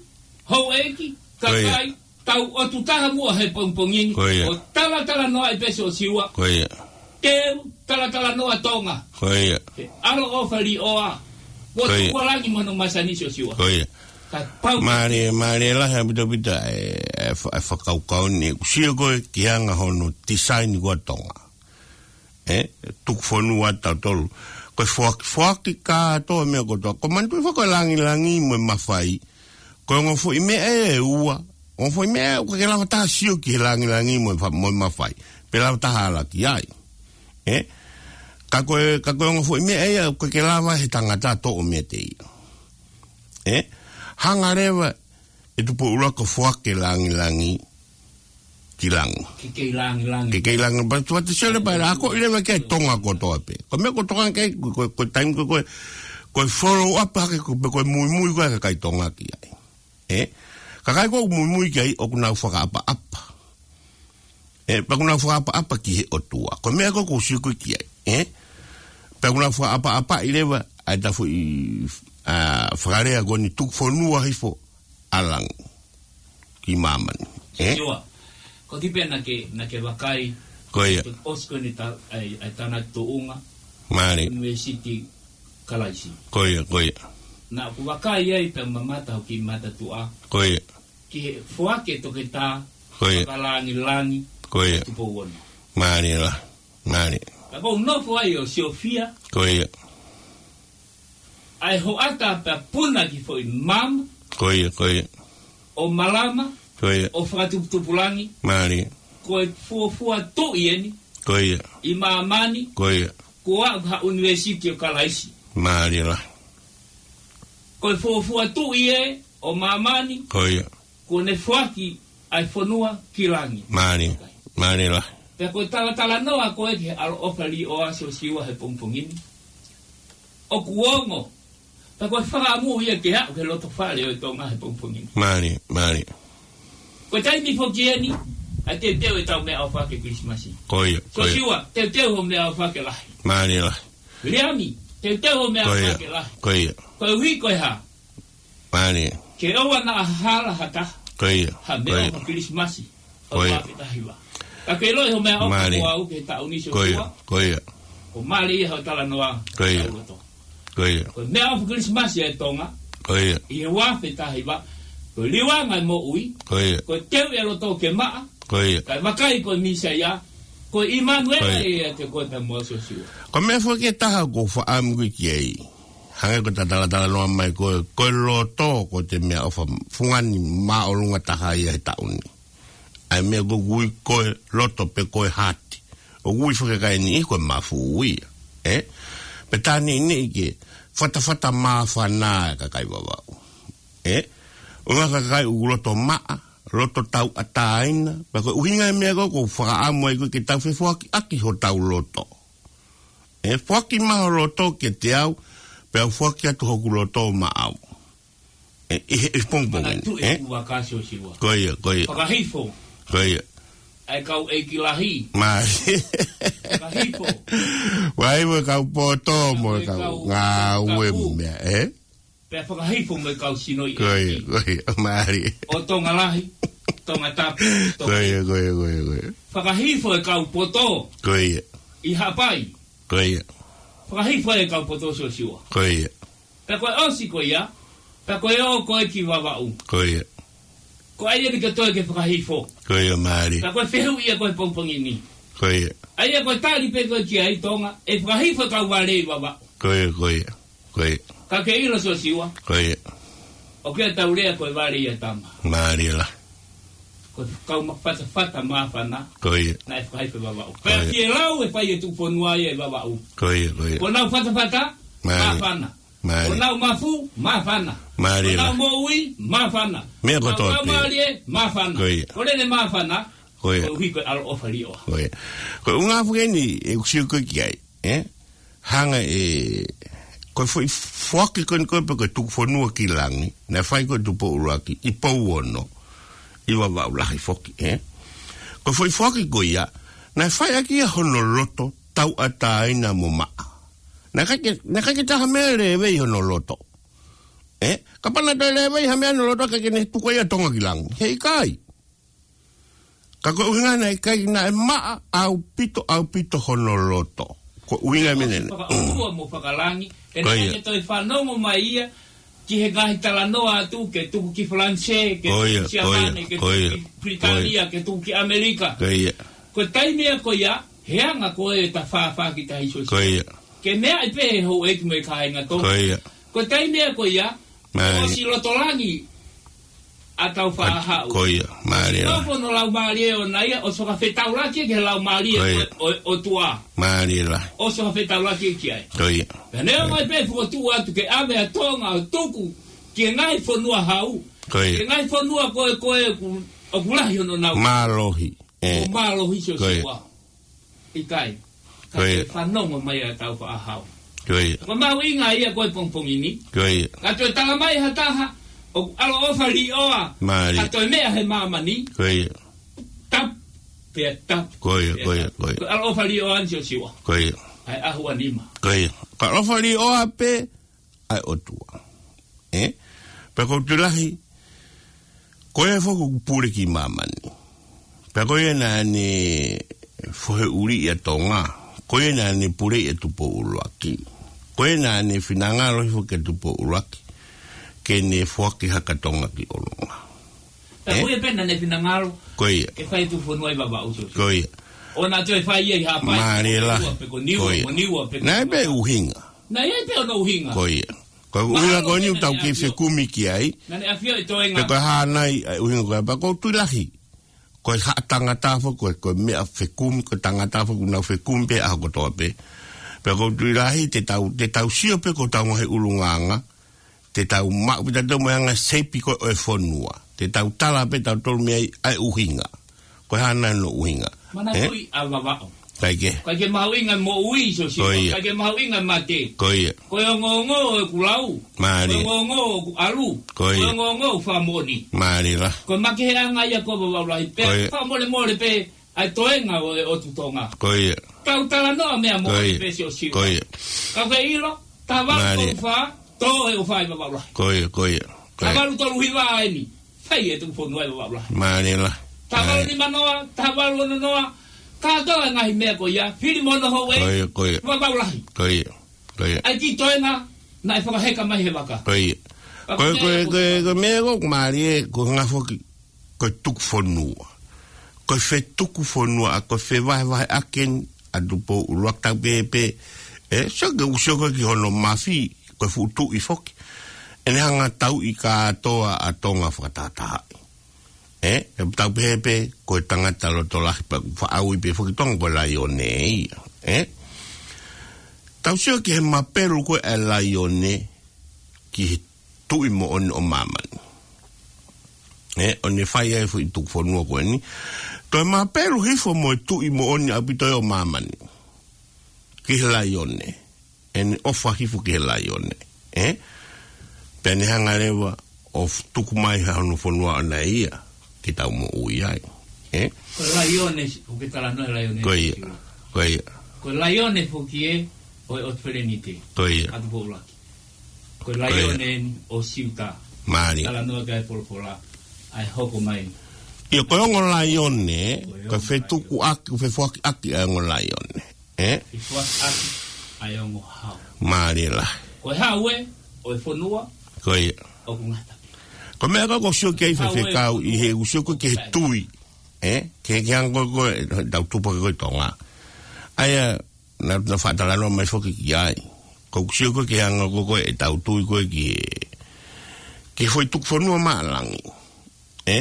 houʻeiki, ko ia. Kakai, tau ʻotu taha muʻa he pongipongi ni. Ko ia. ʻO talatalanoaʻi pē Sōsiua. Ko ia. Teu, talatalanoa Tonga. Ko ia. He ʻaloʻofa līʻoa. Ko ia. Ko e tuku ʻa langi mo hono masani Sōsiua. Ko ia. Ka pau. Mālie, mālie lahi ʻaupito ʻaupito e, e fa-, e fakakaukau ni. ʻOku sio ko ē ki he anga hono tisaini ko ē ʻa Tonga. Ē, tuku fonua ʻa tautolu. Ko e foaki, foaki kātoa meʻa kotoa. Ko e manatuʻi foki ko e langilangi mo e mafai. Ko e ongo foʻi meʻa ʻe ua. Ongo foʻi meʻa ʻoku ʻikai ke lava taha sio ki he langilangi mo e fa-, mo e mafai. Pe lava taha ala ki ai. Ē? Ka ko e, ka ko e ongo foʻi meʻa ia ʻoku ʻikai ke lava he tangata toʻo meiate ia. Ē? Hanga leva ʻe Tupou ʻUluaki ʻo foaki e langilangi ki langi. Ke kei langilangi. Ke kei langi, pea tuate sele pea ako i leva ki ai Tonga kotoa pē. Ko e meʻa ko Tonga kei, ko, ko, ko e taimi ko, ko, ko e follow up hake ko, pe ko e muimui ko ē ʻa e kakai Tonga ki ai. Ē? Kakai ko ē ʻoku muimui ki ai ʻoku nau fakaʻapaʻapa. Ē, pea ʻoku nau fakaʻapaʻapa ki he ʻOtua. Ko e meʻa ko ē ʻoku ou sio ko ē ki ai. Ē? Pea ʻoku nau fakaʻapaʻapaʻi leva ʻa e tafu i, ʻa, fakalea ko eni tuku fonua hifo ʻa langi ki māmani. Ē? Sure. Ko e kiʻi pē naʻa ke, naʻa ke vakai. Ko ia. Ko e ʻosi ko eni ta-, ʻa e, ʻa e tānaki tuʻunga. Mālie. ʻUnivēsiti Kalaisi. Ko ia, ko ia. Naʻa ku vakai ai pea mamata hoku kiʻi mata tuʻa. Ko ia. Ki he foaki e toketā. Ko ia. Fakalangilangi. Ko ia. Tupou Ono. Mālie la. Mālie. Ka ʻoku ou nofo ai ʻo siofia. Ko ia. ʻA e hoʻata pea puna ki foʻi maama. Ko ia, ko ia. ʻO malama. Ko ia. ʻO fakatuputupulangi. Mālie. Ko e fuofua tuʻi eni. Ko ia. ʻI māmani. Ko ia. Ko e ʻa ha ʻUnivēsiti ʻo Kalaisi. Mālie la. Ko e fuofua tuʻi ē ʻo māmani. Ko ia. Kuo ne foaki ʻa e fonua ki langi. Mālie. Mālie la. Pea ko e talatalanoa ko ē ki he ʻaloʻofa līʻoa Sōsiua he pongipongi ni. ʻOku ongo. Pea ko e fakaʻamu ia ke aʻu ki he loto fale ʻo e Tonga he pongipongi ni. Mālie, mālie. Ko e taimi foki eni, ʻa e teuteu ʻetau meʻaʻofa ke Kilisimasi. Ko ia, ko ia. Sōsiua, teuteu hoʻo meʻaʻofa ke lahi. Mālie la. Liami, teuteu hoʻo meʻaʻofa ke lahi. Ko ia. Koeʻuhi ko e hā? Mālie. Ke ʻoua naʻa hala ha taha. Ko ia. Ha meʻaʻofa Kilisimasi. Ko ia. ʻO e ua afe taha hiva. Ka ke ʻilo ʻi hoʻo meʻaʻofa mo au ki he taʻu ni, Siosiua. Ko ia. Ko ia. Ko e mālie ia hoʻo talanoa. Ko ia. Ko e meʻaʻofa Kilisimasi ʻa e Tonga. Ko ia. ʻI he ua afe taha hiva. Ko e liuanga e moʻui. Ko ia. Ko e teu e loto ke maʻa. Ko ia. Kae vakai ko e Mīsaia. Ko ʻImanuela ia ʻiate koe pea mo au, Siosiua. Ko e meʻa foki ʻe taha ʻoku ou fakaʻamu ki ai. Hangē ko ʻeta talatalanoa mai ko e, ko e loto ko e meʻaʻofa fungani māʻolunga taha ia he taʻu ni. ʻA e meʻa ʻoku ui ko e loto pe ko e hati. ʻOku ui fakakakai ni ko e mafu ia. ʻE? Pea tā neʻineʻi ke fatafata māfana e kakai Vavaʻu. ʻE? ʻO e ngaahi kakai ʻoku loto maʻa, loto tauʻatāina, pea ko e ʻuhinga e meʻa ko ē ʻoku ou fakaʻamu ai ko ē ke tau fefoakiʻaki hotau loto. ʻE, foaki mai ho loto kiate au, pea u foaki atu hoku loto maʻau. ʻE, ʻi he, ʻi he pongipongi ni, ʻe? Ko ia, ko ia. Fakahifo. Ko ia. ʻA e kau ʻeiki lahi. Mā. Fakahifo. Fakahifo e kau poto mo e kau ngāue meʻa, ʻe? Pea fakahifo mo e kau sino ʻi ʻEiki. Ko ia, ko ia, mālie. ʻO Tonga Lahi, Tongatapu, Tonga. Ko ia, ko ia, ko ia, ko ia. Fakahifo e kau poto. Ko ia. ʻI Haʻapai. Ko ia. Fakahifo e kau poto, Siosiua. Ko ia. Pea ko e ʻosi ko ia, pea ko e ō ko ē ki Vavaʻu. Ko ia. Ko ʻai eni ke toe ke fakahifo. Ko ia, mālie. Pea ko e fehuʻi ia ko ē he pongipongi ni. Ko ia. ʻA ia ko e tali pē ko ē ki ai, Tonga, ʻe fakahifo e kau vale ʻi Vavaʻu. Ko ia, ko ia. Ko ia. Ka ke ʻilo, Siosiua. Ko ia. ʻOku ʻi ai ʻetau lea ko e vale ʻia tama. Mālie lahi. Ko e kau ma-, fatafata māfana. Ko ia. Naʻe fakahifo ʻi Vavaʻu. Ko ia. Pea ke lau e fai e tuʻufonua ia ʻi Vavaʻu. Ko ia, ko ia. Ko ʻenau fatafata māfana. Mālie. Ko ʻenau mafu māfana. Mālie lahi. Ko ʻenau moʻui māfana. Meʻa kotoa pē. Ko ʻenau mālie māfana. Ko ia. Ko ʻene māfana. Ko ia. Koeʻuhi ko e ʻaloʻofa līʻoa. Ko ia. Ko e ʻuhinga foki eni ʻoku ou sio ko ē ki ai, ʻe? Hanga ʻe, ko e foʻi foaki ko eni ko ē pe ko e tukufonua ki langi, naʻe fai ko ē ʻe Tupou ʻUluaki ʻi Pouono, ʻi Vavaʻu lahi foki, ʻe? Ko e foʻi foaki ko ia, naʻe fai ʻaki ia hono loto tauʻatāina mo maʻa. Naʻe ʻikai ke, naʻe ʻikai ke ʻi ai ha meʻa lēvei hono loto. ʻE? Kapau naʻe toe lēvei ha meʻa hono loto, ʻikai ke ne tuku ia ʻa Tonga ki langi. Heʻikai. Ka ko e ʻuhinga naʻe ʻikai, naʻe maʻa ʻaupito, ʻaupito hono loto. Ko e ʻuhinga e meʻa ni. Fakaʻotua mo fakalangi, ʻe naʻe ʻikai ke toe fanongo mai ia ki he ngaahi talanoa atu, ke tuku ki Falanisē, ke tuku ki Siapane, ke tuku ki Pilitānia, ke tuku ki ʻAmelika. Ko ia. Ko e taimi ia ko ia, he anga ko ē ʻeta fāfā ki tahi, Siosiua. Ko ia. Ke meaʻi pē ʻe he houʻeiki mo e kāinga Tonga. Ko ia. Ko e taimi ia ko ia, ʻosi loto langi ʻa Tāufaʻāhau. Ko ia, mālie lahi. Nofo hono laumālie ʻoʻona ia, ʻosi fakafetaulaki ki he laumālie ʻo, ʻo, ʻOtua. Mālie lahi. ʻOsi fakafetaulaki ki ai. Ko ia. Pea neongo ai pē fokotuʻu atu ke ʻave ʻa Tonga ʻo tuku ki he ngaahi fonua hau. Ko ia. Ki he ngaahi fonua ko ē, ko ē ʻoku, ʻoku lahi hono nau. Mālohi. ʻE. ʻO mālohi, Siosiua. ʻIkai. Ka ke fanongo mai ʻa Tāufaʻāhau. Ko ia. Ko e mahuʻinga ia ko ē he pongipongi ni. Ko ia. Ka toe tala mai ha taha, ʻoku ʻaloʻofa līʻoa. Mālie. Ka toe meʻa he māmani. Ko ia. Tapu, pea tapu. Ko ia, ko ia, ko ia. Ko e ʻaloʻofa līʻoa eni, Siosiua. Ko ia. ʻA e ʻaho ua nima. Ko ia. Ko e ʻaloʻofa līʻoa pē ʻa e ʻOtua. ʻE? Pea ʻoku ou tui lahi, ko ia foki ʻoku pule ki māmani. Pea ko ia naʻa ne fohe ʻuli ʻia Tonga. Ko ia naʻa ne pule ʻia Tupou ʻUluaki. Ko ia naʻa ne finangalo hifo kia Tupou ʻUluaki ke ne foaki hake ʻa Tonga ki ʻolunga. Pea ko ia pē naʻa ne finangalo ke fai tuʻufonua ʻi Vavaʻu. Ko ia. ʻO naʻa toe fai ia ʻi Haʻapai. Mālie lahi. Pe ko Niua, ko Niua, pe ko Niua. Naʻe pē ʻuhinga. Naʻe pē hono ʻuhinga. Ko ia. Ko e ʻuhinga ko eni ʻoku tau kei fekumi ki ai. Naʻa ne ʻafio ʻi toenga. Pe ko e hā nai ʻa e ʻuhinga ko ia, pea ʻoku ou tui lahi. Ko e haʻa tangata foki, ko e, ko e meʻa fekumi, ko e tangata foki ʻoku nau fekumi pē ʻaho kotoa pē. Pea ʻoku ou tui lahi, te tau, te tau sio pē ki hotau ngaahi ʻulungaanga. Te tau maʻu pē tautolu mo e anga seipi ko ē ʻo e fonua. Te tau tala pē tautolu mei ai ʻa e ʻuhinga. Ko e hā nai hono ʻuhinga. Manatuʻi ʻa Vavaʻu. ʻIkai ke. ʻIkai ke mahuʻinga moʻui, Siosiua. Ko ia. ʻIkai ke mahuʻinga mate. Ko ia. Ko e ongoongo ʻoku lau. Mālie. Ko e ongoongo ʻoku ʻalu. Ko ia. Ko e ongoongo ʻoku fakamoʻoni. Mālie lahi. Ko e makeheʻanga ia ko Vavaʻu lahi. Pea fakamolemole pē ʻa e toenga ʻo e ʻOtu Tonga. Ko ia. Tau talanoa meʻa moʻoni pē, Siosiua. Ko ia. Ka ke ʻilo, tava ko fa, tō e ʻofa ʻi Vavaʻu lahi. Ko ia, ko ia. Ko ia. Taha valu tolu hiva eni. Fai e tuku fonua ʻe Vavaʻu Lahi. Mālie lahi. Taha valu nima noa, taha valu ono noa. Kātoa e ngaahi meʻa ko ia. Fili mo hono houʻeiki. Ko ia, ko ia. Vavaʻu Lahi. Ko ia, ko ia. ʻAi ki toenga, naʻe fakaheka mai he vaka. Ko ia. Ko e, ko e, ko e, ko e meʻa ko ē mālie, ko e hanga foki, ko e tuku fonua. Ko e fetuku fonua, ʻa ko e fevahevaheʻaki eni ʻa Tupou ʻUluaki, tau pehē pē, ē, sio ki he, sio ko ē ki hono mafi, ko e fuʻu tuʻi foki. ʻEne hanga tauʻi kātoa ʻa Tonga fakatahatahaʻi. Ē, ʻe tau pehē pē, ko e tangata loto lahi pea ʻoku faʻa ui pē foki Tonga ko e laione ia. Ē? Tau sio ki he mapelu ko ē ʻa e laione ki he tuʻi moʻoni ʻo māmani. Ē, ʻo ne fai ai e foʻi tuku fonua ko eni. Toe mapelu hifo mo e tuʻi moʻoni ʻaupito ʻo māmani ki he laione. ʻEne ʻofa hifo ki he laione. Ē? Pea ne hanga leva ʻo f-, tuku mai ha hono fonua ʻoʻona ia ke tau moʻui ai. Ē? Ko e laione, ʻoku ke talanoa e laione. Ko ia. Ko ia. Ko e laione foki ē, ʻo e ʻOtu Felenite. Ko ia. ʻA Tupou ʻUluaki. Ko e laione eni ʻo Siuta. Mālie. Talanoa ki ai e folofola, ʻa e hoko mai. ʻIo, ko e ongo laione, ko e fetukuʻaki, fefoakiʻaki ʻa e ongo laione. Ē? Fefoakiʻaki ʻa e ongo hau. Mālie lahi. Ko e hau ē, ʻo e fonua. Ko ia. ʻOku ngata. Ko e meʻa ko ē ʻoku ou sio ki ai, hau ē, faifekau, ʻi he ʻoku ou sio ko ē ki he tui. Ē? Ki he, ki he anga ko ē ʻetau tupu ko ē ʻi Tonga. ʻA ia, naʻa, naʻa faʻa talanoa mai foki ki ai. ʻOku ou sio ko ē ki he anga ko ē ʻetau tui ko ē ki he, ki he foʻi tuku fonua maʻa langi. Ē?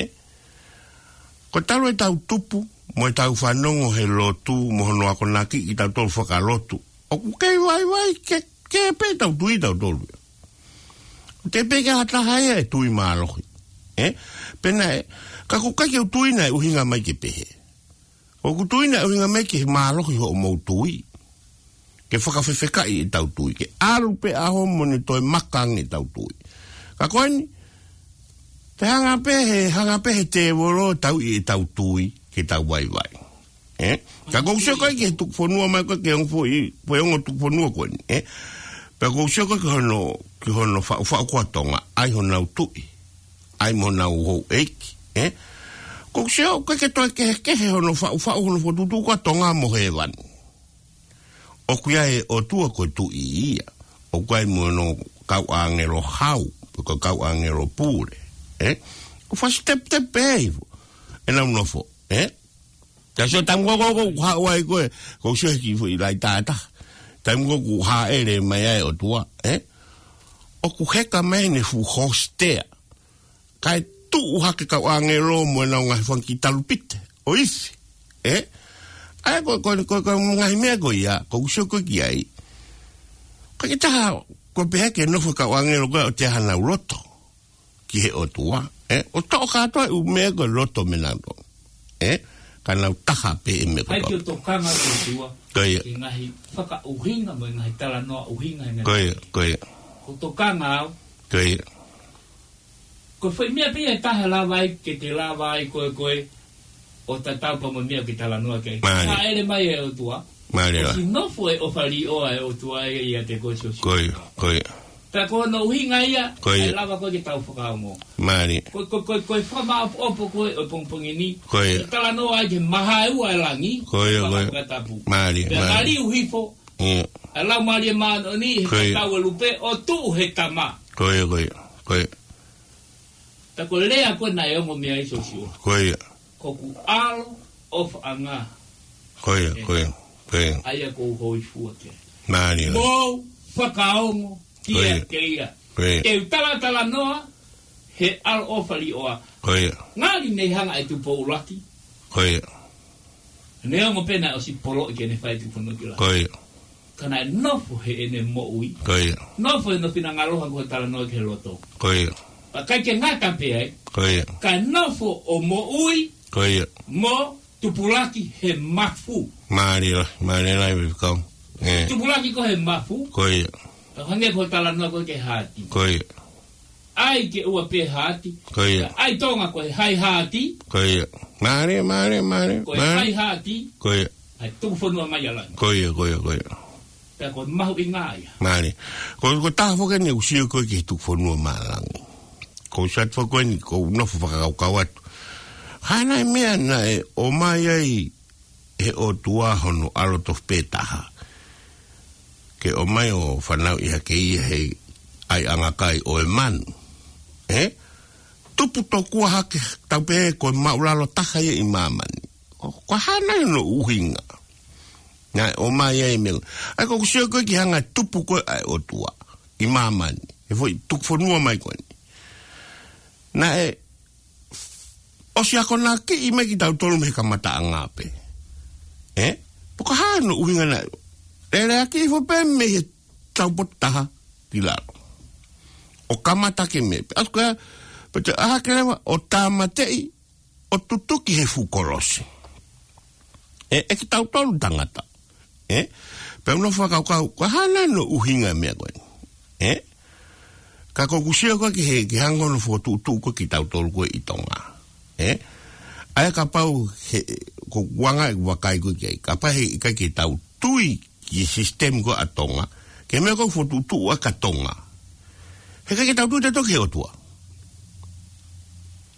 Ko e talu ʻetau tupu, mo ʻetau fanongo he lotu, mo hono akonaki kitautolu fakalotu. ʻOku kei vaivai ke, ke pē ʻetau tui tautolu. Te pē ke ha taha ia ʻe tui mālohi. Ē? Pea naʻe, ka ʻoku ʻikai ke u tui naʻe ʻuhinga mai ke pehē. ʻOku ou tui naʻe ʻuhinga mai ke mālohi hoʻomou tui. Ke fakafefekaʻi ʻetau tui. Ke ʻalu pē ʻaho mo ne toe maka ange ʻetau tui. Ka ko eni, te hanga pē he, hanga pē he tēvolo ʻo tauʻi ʻetau tui, ke tau vaivai. Ē? Ka ʻoku ou sio ko ē ki he tuku fonua mai ko ē ki he ongo foʻi, foʻi ongo tuku fonua ko eni. Ē? Pea ʻoku ou sio ko ē ki hono, ki hono faʻufaʻu ko ē ʻa Tonga, ʻai honau tuʻi. ʻAi mo honau houʻeiki, ē? ʻOku ou sio ko ē ke toe kehekehe hono faʻufaʻu hono fokotuʻutuʻu ko ē ʻa Tonga mo hēvani. ʻOku ʻi ai e ʻOtua ko e tuʻi ia. ʻOku ʻi ai mo hono kau ʻāngelo hau, pe ko e kau ʻāngelo pule, ē? ʻOku fakasiteputepu pē hifo ʻenau nofo, ē? Ka sio taimi ko ē ʻoku haʻu ai ko ē, ʻoku ou sio he kiʻi foʻi laʻi tātā. Taimi ko ē ʻoku hāʻele mai ai e ʻOtua, ē? ʻOku heka mai ʻene fuʻu hostea. Kae tuʻu hake kau ʻāngelo mo ʻenau ngaahi fanga kiʻi talupite ʻo ifi, ē? ʻA ia ko, ko, ko, ko e ngaahi meʻa ko ia, ʻoku ou sio ko ē ki ai. Ko e kiʻi taha, ko e pehē ke nofo kau ʻāngelo ko ē ʻo ʻoatu hanau loto ki he ʻOtua, ē? ʻO toʻo kātoa e ʻū meʻa ko e loto mei heʻenau loto, ē? Ka nau taha pē e meʻa ko ē. ʻAi ke u tokanga ki he ʻOtua. Ko ia. Ki he ngaahi fakaʻuhinga mo e ngaahi talanoa ʻuhinga he meʻa. Ko ia, ko ia. ʻOku ou tokanga au. Ko ia. Ko e foʻi meʻa pē ia ʻe taha ʻe lava ai, ke te lava ai ko ē, ko ē ʻo tatau pea mo e meʻa ʻoku ke talanoa ki ai. Mālie. Hāʻele mai e ʻOtua. Mālie. ʻOsi nofo e ʻofa līʻoa e ʻOtua ia ʻiate koe Siosiua. Ko ia, ko ia. Pea ko hono ʻuhinga ia, ko ia, ʻe lava ko ē ke tau fakaongo. Mālie. Ko, ko, ko, ko e fakamāʻopoʻopo ko ē ʻo e pongipongi ni. Ko ia. ʻOku talanoa ai ki he mahaeua e langi. Ko ia, ko ia. Fakatapu. Mālie, mālie. Pea maliu hifo. Ia. ʻA e Laumālie Māʻoniʻoni, he, ko ia, tatau e lupe, ʻo tuʻu he tama. Ko ia, ko ia, ko ia. Tā ko e lea ko ē naʻe ongo mei ai Siosiua. Ko ia. Ko hoku ʻaloʻofaʻanga. Ko ia, ko ia, ko ia. ʻA ia ʻoku ou hōifua ki ai. Mālie. Mou fakaongo kiate ia. Ko ia. Ko ia. Te u talatalanoa he ʻaloʻofa līʻoa. Ko ia. Ngali ne hanga ʻe Tupou ʻUluaki. Ko ia. Neongo pē naʻe ʻosi poloʻi ke ne fai e tuku fonua ki langi. Ko ia. Ka naʻe nofo heʻene moʻui. Ko ia. Nofo heʻene finangalo, hangē ko e talanoa ki he loto. Ko ia. Pea ʻikai ke ngata pē ai. Ko ia. Ka nofo ʻo moʻui. Ko ia. Mo tupulaki he mafu. Mālie lahi, mālie lahi, faifekau. Ē. Tupulaki ko ē he mafu. Ko ia. Pea hangē ko e talanoa ko ē ki he haati. Ko ia. ʻAi ke ʻoua pē haati. Ko ia. ʻAi Tonga ko e hai haati. Ko ia. Mālie, mālie, mālie, ko e mālie. Hai haati. Ko ia. ʻAi tuku fonua mai ʻa langi. Ko ia, ko ia, ko ia. Pea ko e mahuʻinga ia. Mālie. Ko, ko e taha foki eni ʻoku ou sio ko ē ki he tuku fonua maʻa langi. ʻoku ou sio atu foki ko eni, ʻoku ou nofo fakakaukau atu. Hā nai e meʻa naʻe ʻomai ai ʻe he ʻOtua hono ʻAlo tofu pē taha ke ʻomai ʻo fanauʻi hake ia he ʻaiʻanga kai ʻo e manu. Ē? Tupu tokua hake tau pē ko e māʻulalo taha ia ʻi māmani. Ko, ko e hā nai hono ʻuhinga naʻe ʻomai ai e meʻa? ʻA ia ʻoku ou sio ko ē ki he anga e tupu ko ē ʻa e ʻOtua ʻi māmani, he foʻi tuku fonua mai ko eni. Naʻe ʻosi akonakiʻi mai kitautolu mei he kamataʻanga pē. Ē? Pea ko e hā hono ʻuhinga naʻe lele hake hifo pē mei he taupotu taha ki lalo ʻo kamata hake mei ai pē. ʻAsi ko ia, pea toe ʻā hake leva ʻo tāmateʻi ʻo tutuki he fuʻu kolosi. Ē, ʻe kitautolu tangata. Ē? Pea u nofo fakakaukau, ko e hā nai hono ʻuhinga e meʻa ko eni? Ē? Ka ʻoku ou sio ko ē ki he, ki he anga hono fokotuʻutuʻu ko ē kitautolu ko ē ʻi Tonga. Ē? ʻA ia kapau he, ʻoku ou anga ʻeku vakai ko ē ki ai, kapau he ʻikai ke tau tui ki he sisitemi ko ē ʻa Tonga, ki he meʻa ko ē ʻoku fokotuʻutuʻu ʻaki ʻa Tonga, he ʻikai ke tau tui tautolu ki he ʻOtua.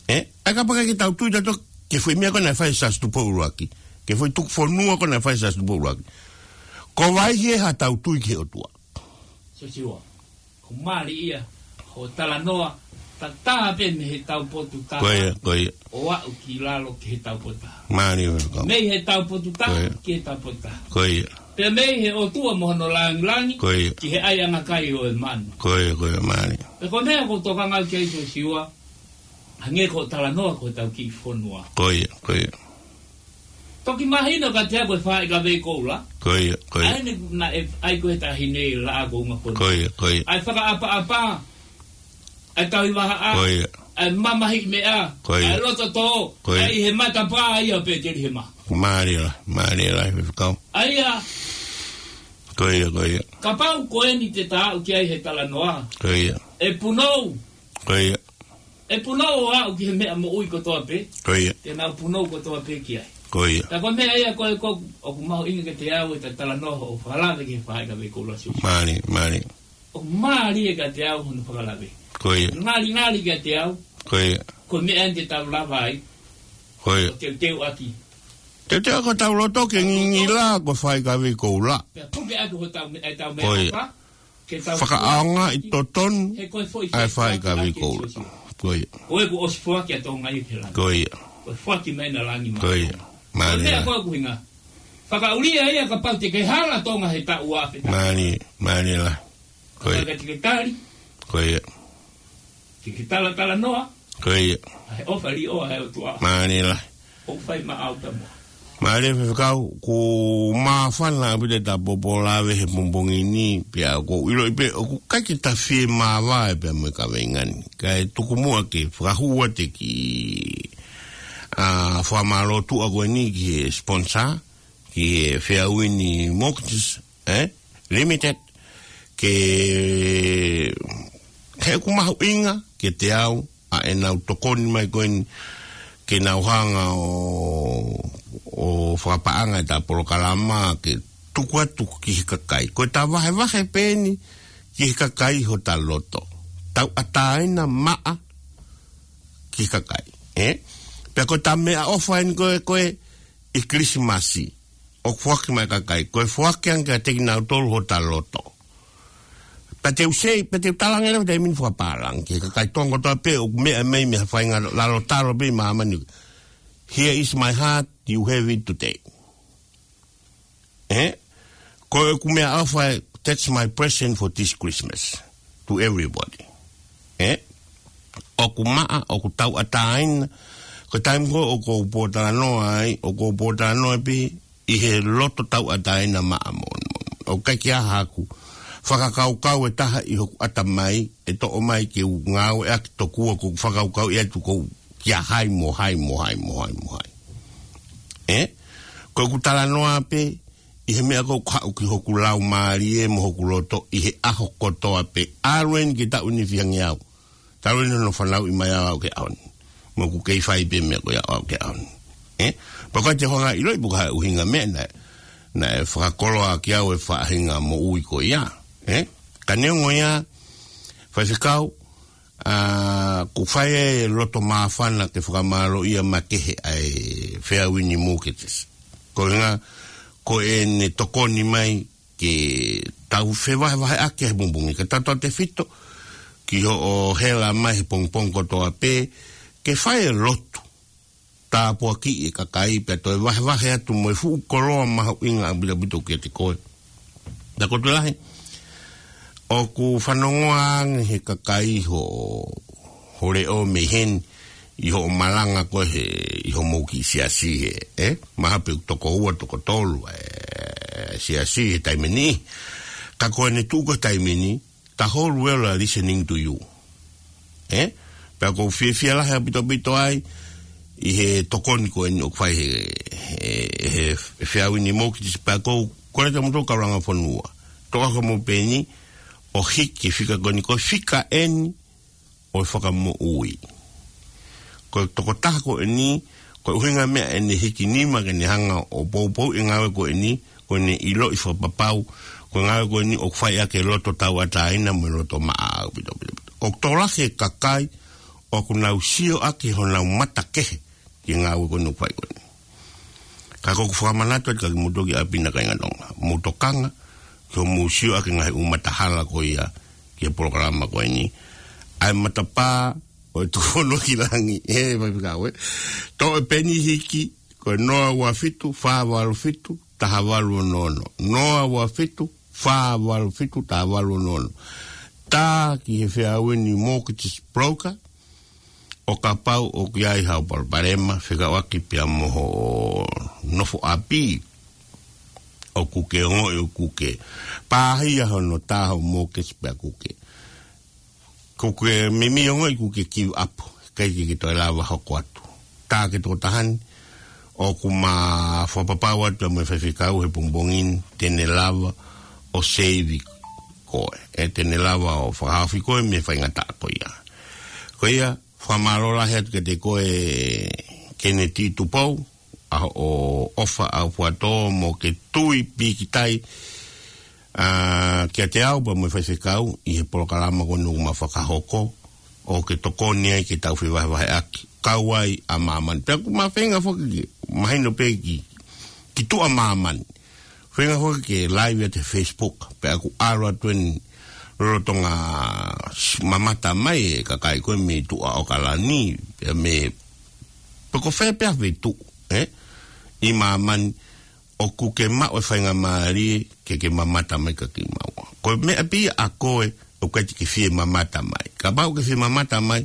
Ē? ʻA ia kapau ʻikai ke tau tui tautolu ki he foʻi meʻa ko ē naʻe fai ʻe Siaosi Tupou ʻUluaki, ki he foʻi tuku fonua ko ē naʻe fai ʻe Siaosi Tupou ʻUluaki, ko e hā ia haʻatau tui ki he ʻOtua? Siosiua, ʻoku mālie ia hoʻo talanoa, tatā pē mei he taupotu taha, ko ia, ko ia, ʻo aʻu ki lalo ki he taupotu taha. Mālie, welcome. Mei he taupotu taha, ko ia, ki he taupotu taha. Ko ia. Pea mei he ʻOtua mo hono langilangi, ko ia, ki he ʻaiʻanga kai ʻo e manu. Ko ia, ko ia, mālie. Pea ko e meʻa ʻoku ou tokanga ki ai Siosiua, hangē ko hoʻo talanoa ko ʻetau kiʻi fonua. Ko ia, ko ia. Toki mahino kiate au ko e faʻahikavei koula. Ko ia, ko ia. ʻA ia naʻe ʻai ko ē he taʻahine ʻi he laʻā ko ē ʻo e fonua. Ko ia, ko ia. ʻA e fakaʻapaʻapa, ʻa e tauhi vahaʻa, ko ia, ʻa e mamahiʻi meʻa, ko ia, ʻa e loto tō, ko ia, ʻa ia ʻi he matapā ia ʻo Petelihema. Mālie lahi, mālie lahi, Faifekau. ʻA ia, ko ia, ko ia, kapau ko eni te ta aʻu ki ai he talanoa, ko ia, ʻe punou. Ko ia. ʻE punou ʻo aʻu ki he meʻa moʻui kotoa pē. Ko ia. Te nau punou kotoa pē ki ai. Ko ia. Ka ko e meʻa ia ko ē ʻoku, ʻoku mahuʻinga kiate au ʻeta talanoa hoʻo fakalave ki he faʻahikavei koula Siosiua. Mālie, mālie. ʻOku mālie kiate au hono fakalave. Ko ia. Ngalingali kiate au. Ko ia. Ko e meʻa eni te tau lava ai, ko ia, ʻo teuteuʻaki. Teuteuʻaki hotau loto ke ngingila ko e faʻahikavei koula. Pea puke atu hotau me-, ʻetau meʻaʻofa. Ko ia. Ke tau fakaʻaongaʻi totonu he ko e foʻi ʻa e faʻahikavei koula. Ko ia. Ko e kuo ʻosi foaki ʻa Tonga ia ki he langi. Ko ia. Ko e foaki mai ʻena langi mai. Ko ia. Mālie. Ko e meʻa ko ē ʻoku hinga. Fakaʻulia ia kapau te ke hala Tonga he taʻu ua afe taha. Mālie, mālie lahi. Ko ia. Kapau te ke tali. Ko ia. Ke ke talatalanoa. Ko ia. ʻA e ʻofa liʻoa ʻa e ʻOtua. Mālie lahi. ʻOku fai maʻau pē mo. Mālie Faifekau, ʻoku māfana ʻaupito ʻeta poupou lave he pongipongi ni, pea ʻoku ou ʻiloʻi pē ʻoku ʻikai ke ta fiemāvae pea mo e kaveinga ni. Kae tuku muʻa ke fakahū atu e kiʻi, ʻa, fakamālō tuʻa ko eni ki he sponsor, ki he Fairwind Mortgages, ē, Limited, ke, he ʻoku mahuʻinga kiate au ʻa ʻenau tokoni mai ko eni ke nau hanga ʻo, ʻo fakapaʻanga ʻeta polokalama ke tuku atu ki he kakai. Ko ʻeta vahevahe pē eni ki he kakai hota loto. Tauʻatāina maʻa ki he kakai, ē? Pea ko ʻeta meʻaʻofa eni ko ē, ko ē ʻi Kilisimasi, ʻoku foaki mai e kakai, ko e foaki ange kiate kinautolu hota loto. Pea te u sei, pea te u talaange leva he taimi ni fakapālangi ki he kakai Tonga kotoa pē ʻoku meʻa mai mei ha faʻahinga lalo talo pē ʻi māmani. Here is my heart, you have it today. Ē? Ko ʻeku meʻaʻofa, that's my present for this Christmas to everybody. Ē? ʻOku maʻa, ʻoku tauʻatāina. Ko e taimi ko ē ʻoku ou pōtalanoa ai, ʻoku ou pōtalanoa pē ʻi he loto tauʻatāina maʻa moʻoni. ʻOku ʻikai ke ʻi ai haku fakakaukau ʻe taha ʻi hoku ʻatamai ʻe toʻo mai ke u ngāueʻaki tokua ʻoku ou fakakaukauʻi atu ʻoku ou kia hai mo hai mo hai mo hai mo hai. Ē? Ko ʻeku talanoa pē ʻi he meʻa ʻoku haʻu ki hoku laumālie mo hoku loto ʻi he ʻaho kotoa pē. ʻAlu eni ki he taʻu ni fihangi au. Talu eni hono fanauʻi mai au ʻo aʻu ki he ʻaho ni. Mo ʻeku kei fai pē meʻa ko ia ʻo aʻu ki he ʻaho ni. Ē? Pea ʻoku ʻikai te u hanga ʻo ʻiloʻi pe ko e hā e ʻuhinga e meʻa naʻe, naʻe fakakoloa kiate au e faʻahinga moʻui ko ia. Ē? Ka neongo ia, Faifekau, ʻA, ʻoku fai e loto māfana ke fakamālōʻia makehe ʻa e Fair Wind Mortgages. Ko e ʻuhinga, ko ʻene tokoni mai ke tau fevahevaheʻaki he pongipongi. Ke tau tautefito ki hoʻo hela mai he pongipongi kotoa pē, ke fai e lotu tāpuakiʻi e kakai pea toe vahevahe atu mo e fuʻu koloa mahuʻinga ʻaupito kiate koe. Naʻa ko e tuʻu lahi, ʻoku fanongoa ange he kakai ho, ho leʻo mei heni ʻi hoʻo malanga ko ē he, ʻi hoʻomou kiʻi siasi he, ē? Mahalo pē ʻoku toko ua, toko tolu, ē, siasi he taimi ni. Ka ko ʻene tuʻu ko ē he taimi ni, the whole world are listening to you. Ē? Pea ʻoku ou fiefia lahi ʻaupito ai ʻi he tokoni ko eni ʻoku fai he, he, he Fair Wind Mortgages, pea ʻoku ou kole atu mo e kau langa fonua. Toʻo hake mo peni ʻo hiki e fika ko eni, ko e fika eni ʻo e fakamoʻui. Ko e tokotaha ko eni, ko e ʻuhinga meʻa ʻene hiki nima ke ne hanga ʻo poupou e ngāue ko eni, ko ʻene ʻiloʻi fakapapau, ko e ngāue ko eni ʻoku fai ʻaki e loto tauʻatāina mo e loto maʻa ʻaupito, ʻaupito, ʻaupito. ʻOku tokolahi e kakai ʻoku nau sio ʻaki honau mata kehe ki he ngāue ko eni ʻoku fai ko eni. Ka ʻoku ou fakamanatu atu kiate kimoutolu ki ʻapi na, kāinga Tonga, mou tokanga ki hoʻomou sio ʻaki e ngaahi ʻū matahala ko ia ki he polokalama ko eni. ʻA e matapā ʻo e tuʻufono ki langi, ē, Faifekau, ē. Toʻo e peni hiki, ko e noa ua fitu, fā valu fitu, taha valu ono ono. Noa ua fitu, fā valu fitu, taha valu ono ono. Tā ki he Fair Wind Mortgage Broker, ʻo kapau ʻoku ʻi ai haʻo palopalema fekauʻaki pea mo hoʻo nofo ʻapi, ʻoku ke ongoʻi ʻoku ke pāhia hono tā hoʻo mortgage pea ʻoku ke, ʻoku ke meimei ongoʻi ʻoku ke give up, ʻikai ke ke toe lava hoko atu. Tā ki he tokotaha ni, ʻoku ma fakapapau atu mo e Faifekau he pongipongi ni te ne lava ʻo save koe, ē, te ne lava ʻo fakahaofi koe mei he faingataʻa ko ia. Ko ia, fakamālō lahi atu kiate koe Keneti Tupou, ʻa hoʻo ʻofa ʻaupito mo ke tui pīkitai, ʻa, kiate au pea mo e Faifekau ʻi he polokalama ko eni ʻoku ma fakahoko, ʻo ke tokoni ai ke tau fevahevaheʻaki, kau ai ʻa māmani. Pea ʻoku ma feinga foki ke mahino pē ki, ki tuʻa māmani. Feinga foki ke live atu he Facebook, pea ʻoku ʻalu atu eni lolotonga s-, mamata mai e kakai ko ē mei tuʻa ʻAokalani, pea mei, pe ko fē pē ha feituʻu, ē? ʻI māmani, ʻoku ke maʻu e faingamālie ke ke mamata mai kia kimaua. Ko e meʻa pē ia ʻa koe ʻoku ʻikai te ke fie mamata mai. Kapau ʻoku ke fie mamata mai,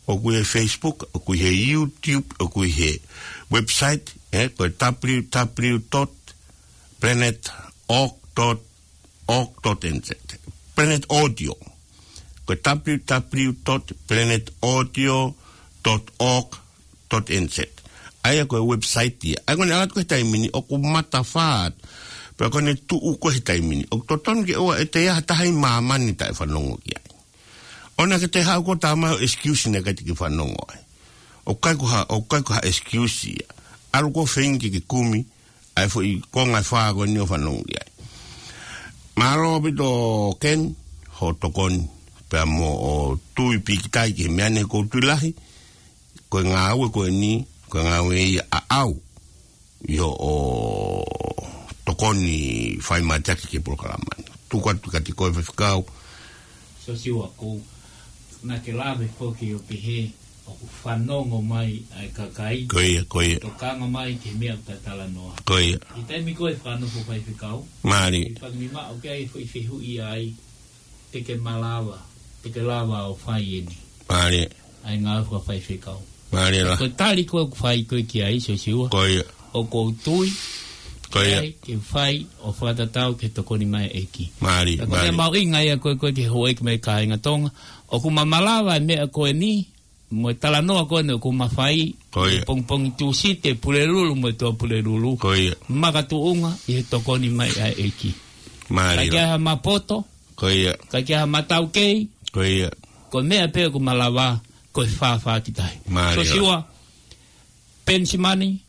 ʻoku ʻi he Facebook, ʻoku ʻi he YouTube, ʻoku ʻi he website, ē, ko e W W W dot planet org dot org dot N Z. Planet Audio. Ko e W W W dot planet audio dot org dot N Z. ʻA ia ko e website ia. ʻA ia ko ʻene ʻalu atu ko ē he taimi ni ʻoku matafā atu. Pea ko ʻene tuʻu ko ē he taimi ni, ʻoku totonu ke ʻoua ʻe toe ʻi ai ha taha ʻi māmani taʻe fanongo ki ai. ʻOua naʻa ke toe haʻu koe ʻo tā mai ho excuse naʻe ʻikai te ke fanongo ai. ʻOku ʻikai ko ha, ʻoku ʻikai ko ha excuse ia. ʻAlu koe ʻo feinga ke ke kumi ʻa e foʻi konga ʻe fā ko eni ʻo fanongo ki ai. Mālō ʻaupito Ken, hoʻo tokoni pea mo hoʻo tui pīkitai ki he meʻa ni, ʻoku ou tui lahi ko e ngāue ko eni, ko e ngāue ia ʻaʻau ʻi hoʻo tokoni fai mateaki ki he polokalama ni. Tuku atu kiate koe Faifekau. Siosiua, ko e naʻa ke lave foki ʻo pehē ʻoku fanongo mai ʻa e kakai. Ko ia, ko ia. Tokanga mai ki he meʻa ʻoku ta talanoa. Ko ia. ʻI he taimi ko ē fakanofo Faifekau, mālie, ʻi fanga nima ʻoku ʻi ai e foʻi fehuʻi ai, te ke malava, te ke lava ʻo fai eni. Mālie. ʻA e ngāue fakafaifekau. Mālie lahi. Ko e tali ko ē ʻoku fai ko ē ki ai, Siosiua. Ko ia. ʻOku ou tui, ko ia, ʻe ʻi ai ke fai ʻo fakatatau ki he tokoni mai ʻa e ʻEiki. Mālie, mālie. Ka ko e meʻa mahuʻinga ia ko ē, ko ē ki he houʻeiki mo e kāinga Tonga, ʻoku ma malava e meʻa ko eni, mo e talanoa ko eni ʻoku ma fai, ko ia, pongipongi Tūsite, Pulelulu mo e Tuʻapulelulu. Ko ia. Makatuʻunga ʻi he tokoni mai ʻa e ʻEiki. Mālie. Ka ʻikai ke ʻi ai ha mapoto, ko ia, ka ʻikai ke ʻi ai ha mataukei, ko ia, ko e meʻa pē ʻoku malava, ko e fāfā ki tahi. Mālie. Siosiua Penisimani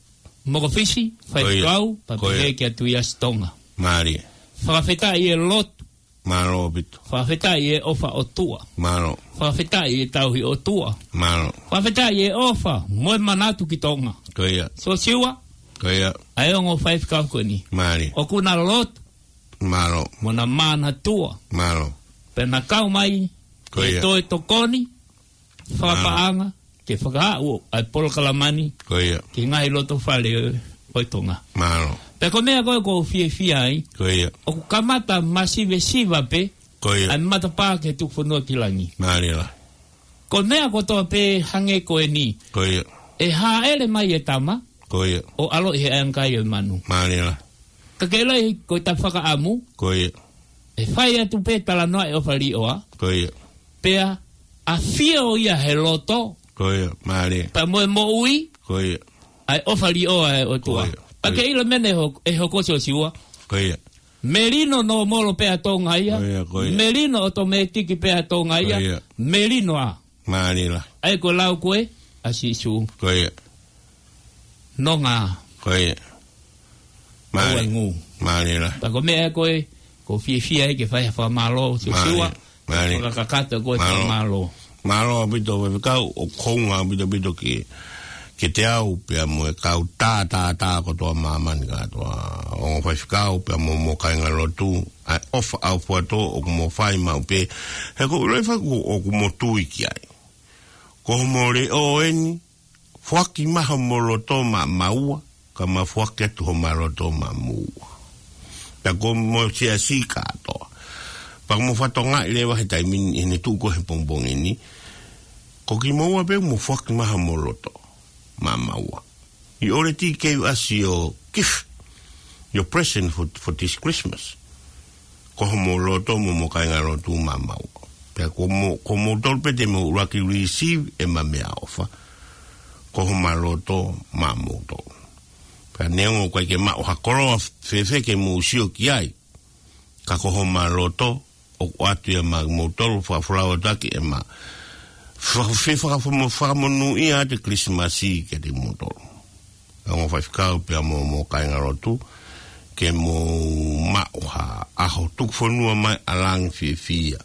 Mokofisi, ko ia, Faifekau, ko ia, pea pehē kia Tuiasi Tonga. Mālie. Fakafetaʻi e lotu Mālō ʻaupito. Fakafetaʻi e ʻofa ʻOtua. Mālō. Fakafetaʻi e tauhi ʻOtua. Mālō. Fakafetaʻi e ʻofa mo e manatu ki Tonga. Ko ia. Siosiua. Ko ia. ʻA e ongo faifekau ko eni. Mālie. ʻOku na lotu. Mālō. Mo na manatua. Mālō. Pea na kau mai. Ko ia. Ke toe tokoni. Fakapaʻanga. Mālō. Ke fakaaʻu ʻa e polokalama ni. Ko ia. Ki he ngaahi loto fale ʻo, ʻo Tonga. Mālō. Pea ko e meʻa ko ē ʻoku ou fiefia ai. Ko ia. ʻOku kamata masivesiva pē. Ko ia. ʻA e matapā ki he tuku fonua ki langi. Mālie. Ko e meʻa kotoa pē hangē ko eni. Ko ia. ʻE hāʻele mai e tama. Ko ia. ʻO ʻaloʻi he ʻaiʻangakai ʻo e manu. Mālie. Ka ke ʻiloʻi ko ʻeta fakaʻamu. Ko ia. ʻE fai atu pē talanoa e ʻofa līʻoa. Ko ia. Pea ʻafio ia he loto. Ko ia, mālie. Pea mo e moʻui. Ko ia. ʻA e ʻofa līʻoa ʻa e ʻOtua. Ko ia. Pea ke ʻilo e meʻa naʻe ho-, ʻe hoko Siosiua. Ko ia. Melino nōmolo pē ʻa Tonga ia. Ko ia, ko ia. Melino ʻotomētiki pē ʻa Tonga ia. Ko ia. Melino ā. Mālie. ʻA ia ko e lau ko ē ʻa Sīsū. Ko ia. Nonga. Ko ia. Mālie. Ua ngū. Mālie. Pea ko e meʻa ko ē, ʻoku ou fiefia ai ke fai ha fakamālō, Siosiua. Mālie. Mālie. Fakakakato ko e fakamālō. Mālō ʻaupito, faifekau, ʻoku hounga ʻaupito ʻaupito ke, kiate au, pea mo e kau tā, tā, tā, kotoa māmani kātoa. Ongo faifekau, pea mo, mo e kāingalotu, ʻa e ʻofa ʻaufuatō, ʻoku mo fai maʻu pē. He ʻoku ou ʻiloʻi faifekau, ʻoku mo tui ki ai. Ko homo leʻo eni, foaki mai homo loto maʻamaua, ka ma foaki atu homa loto maʻamoua. Pea ko homo siasi kātoa. Pea mo fakatokangaʻi leva he taimi ni, ʻi heʻene tuʻu ko ē he pongipongi ni. Ko kimoua pē mo foaki mai homo loto maʻamaua. He already gave us your gift, your present for, for this Christmas. Ko homo loto mo homo kāingalotu maʻamaua. Pea ko mo, ko moutolu pē te mou ʻuluaki receive ʻema meʻaʻofa. Ko homa loto maʻamoutolu. Pea neongo ʻoku ʻikai ke maʻu ha koloa fēfē ke mou sio ki ai. Ka ko homa loto, ʻoku ʻoatu ia maʻamoutolu, fakafolau atu ʻaki ʻema fa-, fe-, faka-, faka-, fakamonūʻia atu e Kilisimasi kiate kimoutolu. Ongo faifekau pea mo, mo e kāingalotu, ke mou maʻu ha ʻaho tuku fonua mai ʻa langi fiefia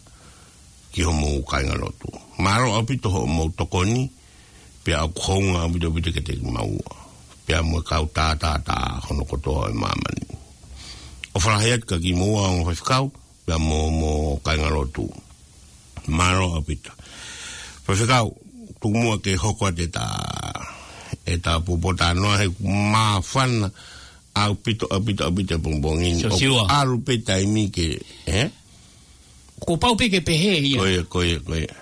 ki homou kāingalotu. Mālō ʻaupito hoʻomou tokoni, pea ʻoku hounga ʻaupito ʻaupito kiate kimaua. Pea mo e kau tā, tā, tā, hono kotoa ʻo e māmani. ʻOfa lahi atu kia kimoua ongo faifekau, pea mo, mo e kāingalotu. Mālō ʻaupito. Faifekau, tuku muʻa ke hoko atu ʻeta, ʻeta pōtalanoa he māfana ʻaupito, ʻaupito, ʻaupito e pongipongi ni. Siosiua. ʻOku ʻalu pē taimi ke, eh? Kuo pau pē ke pehē ia. Ko ia, ko ia, ko ia.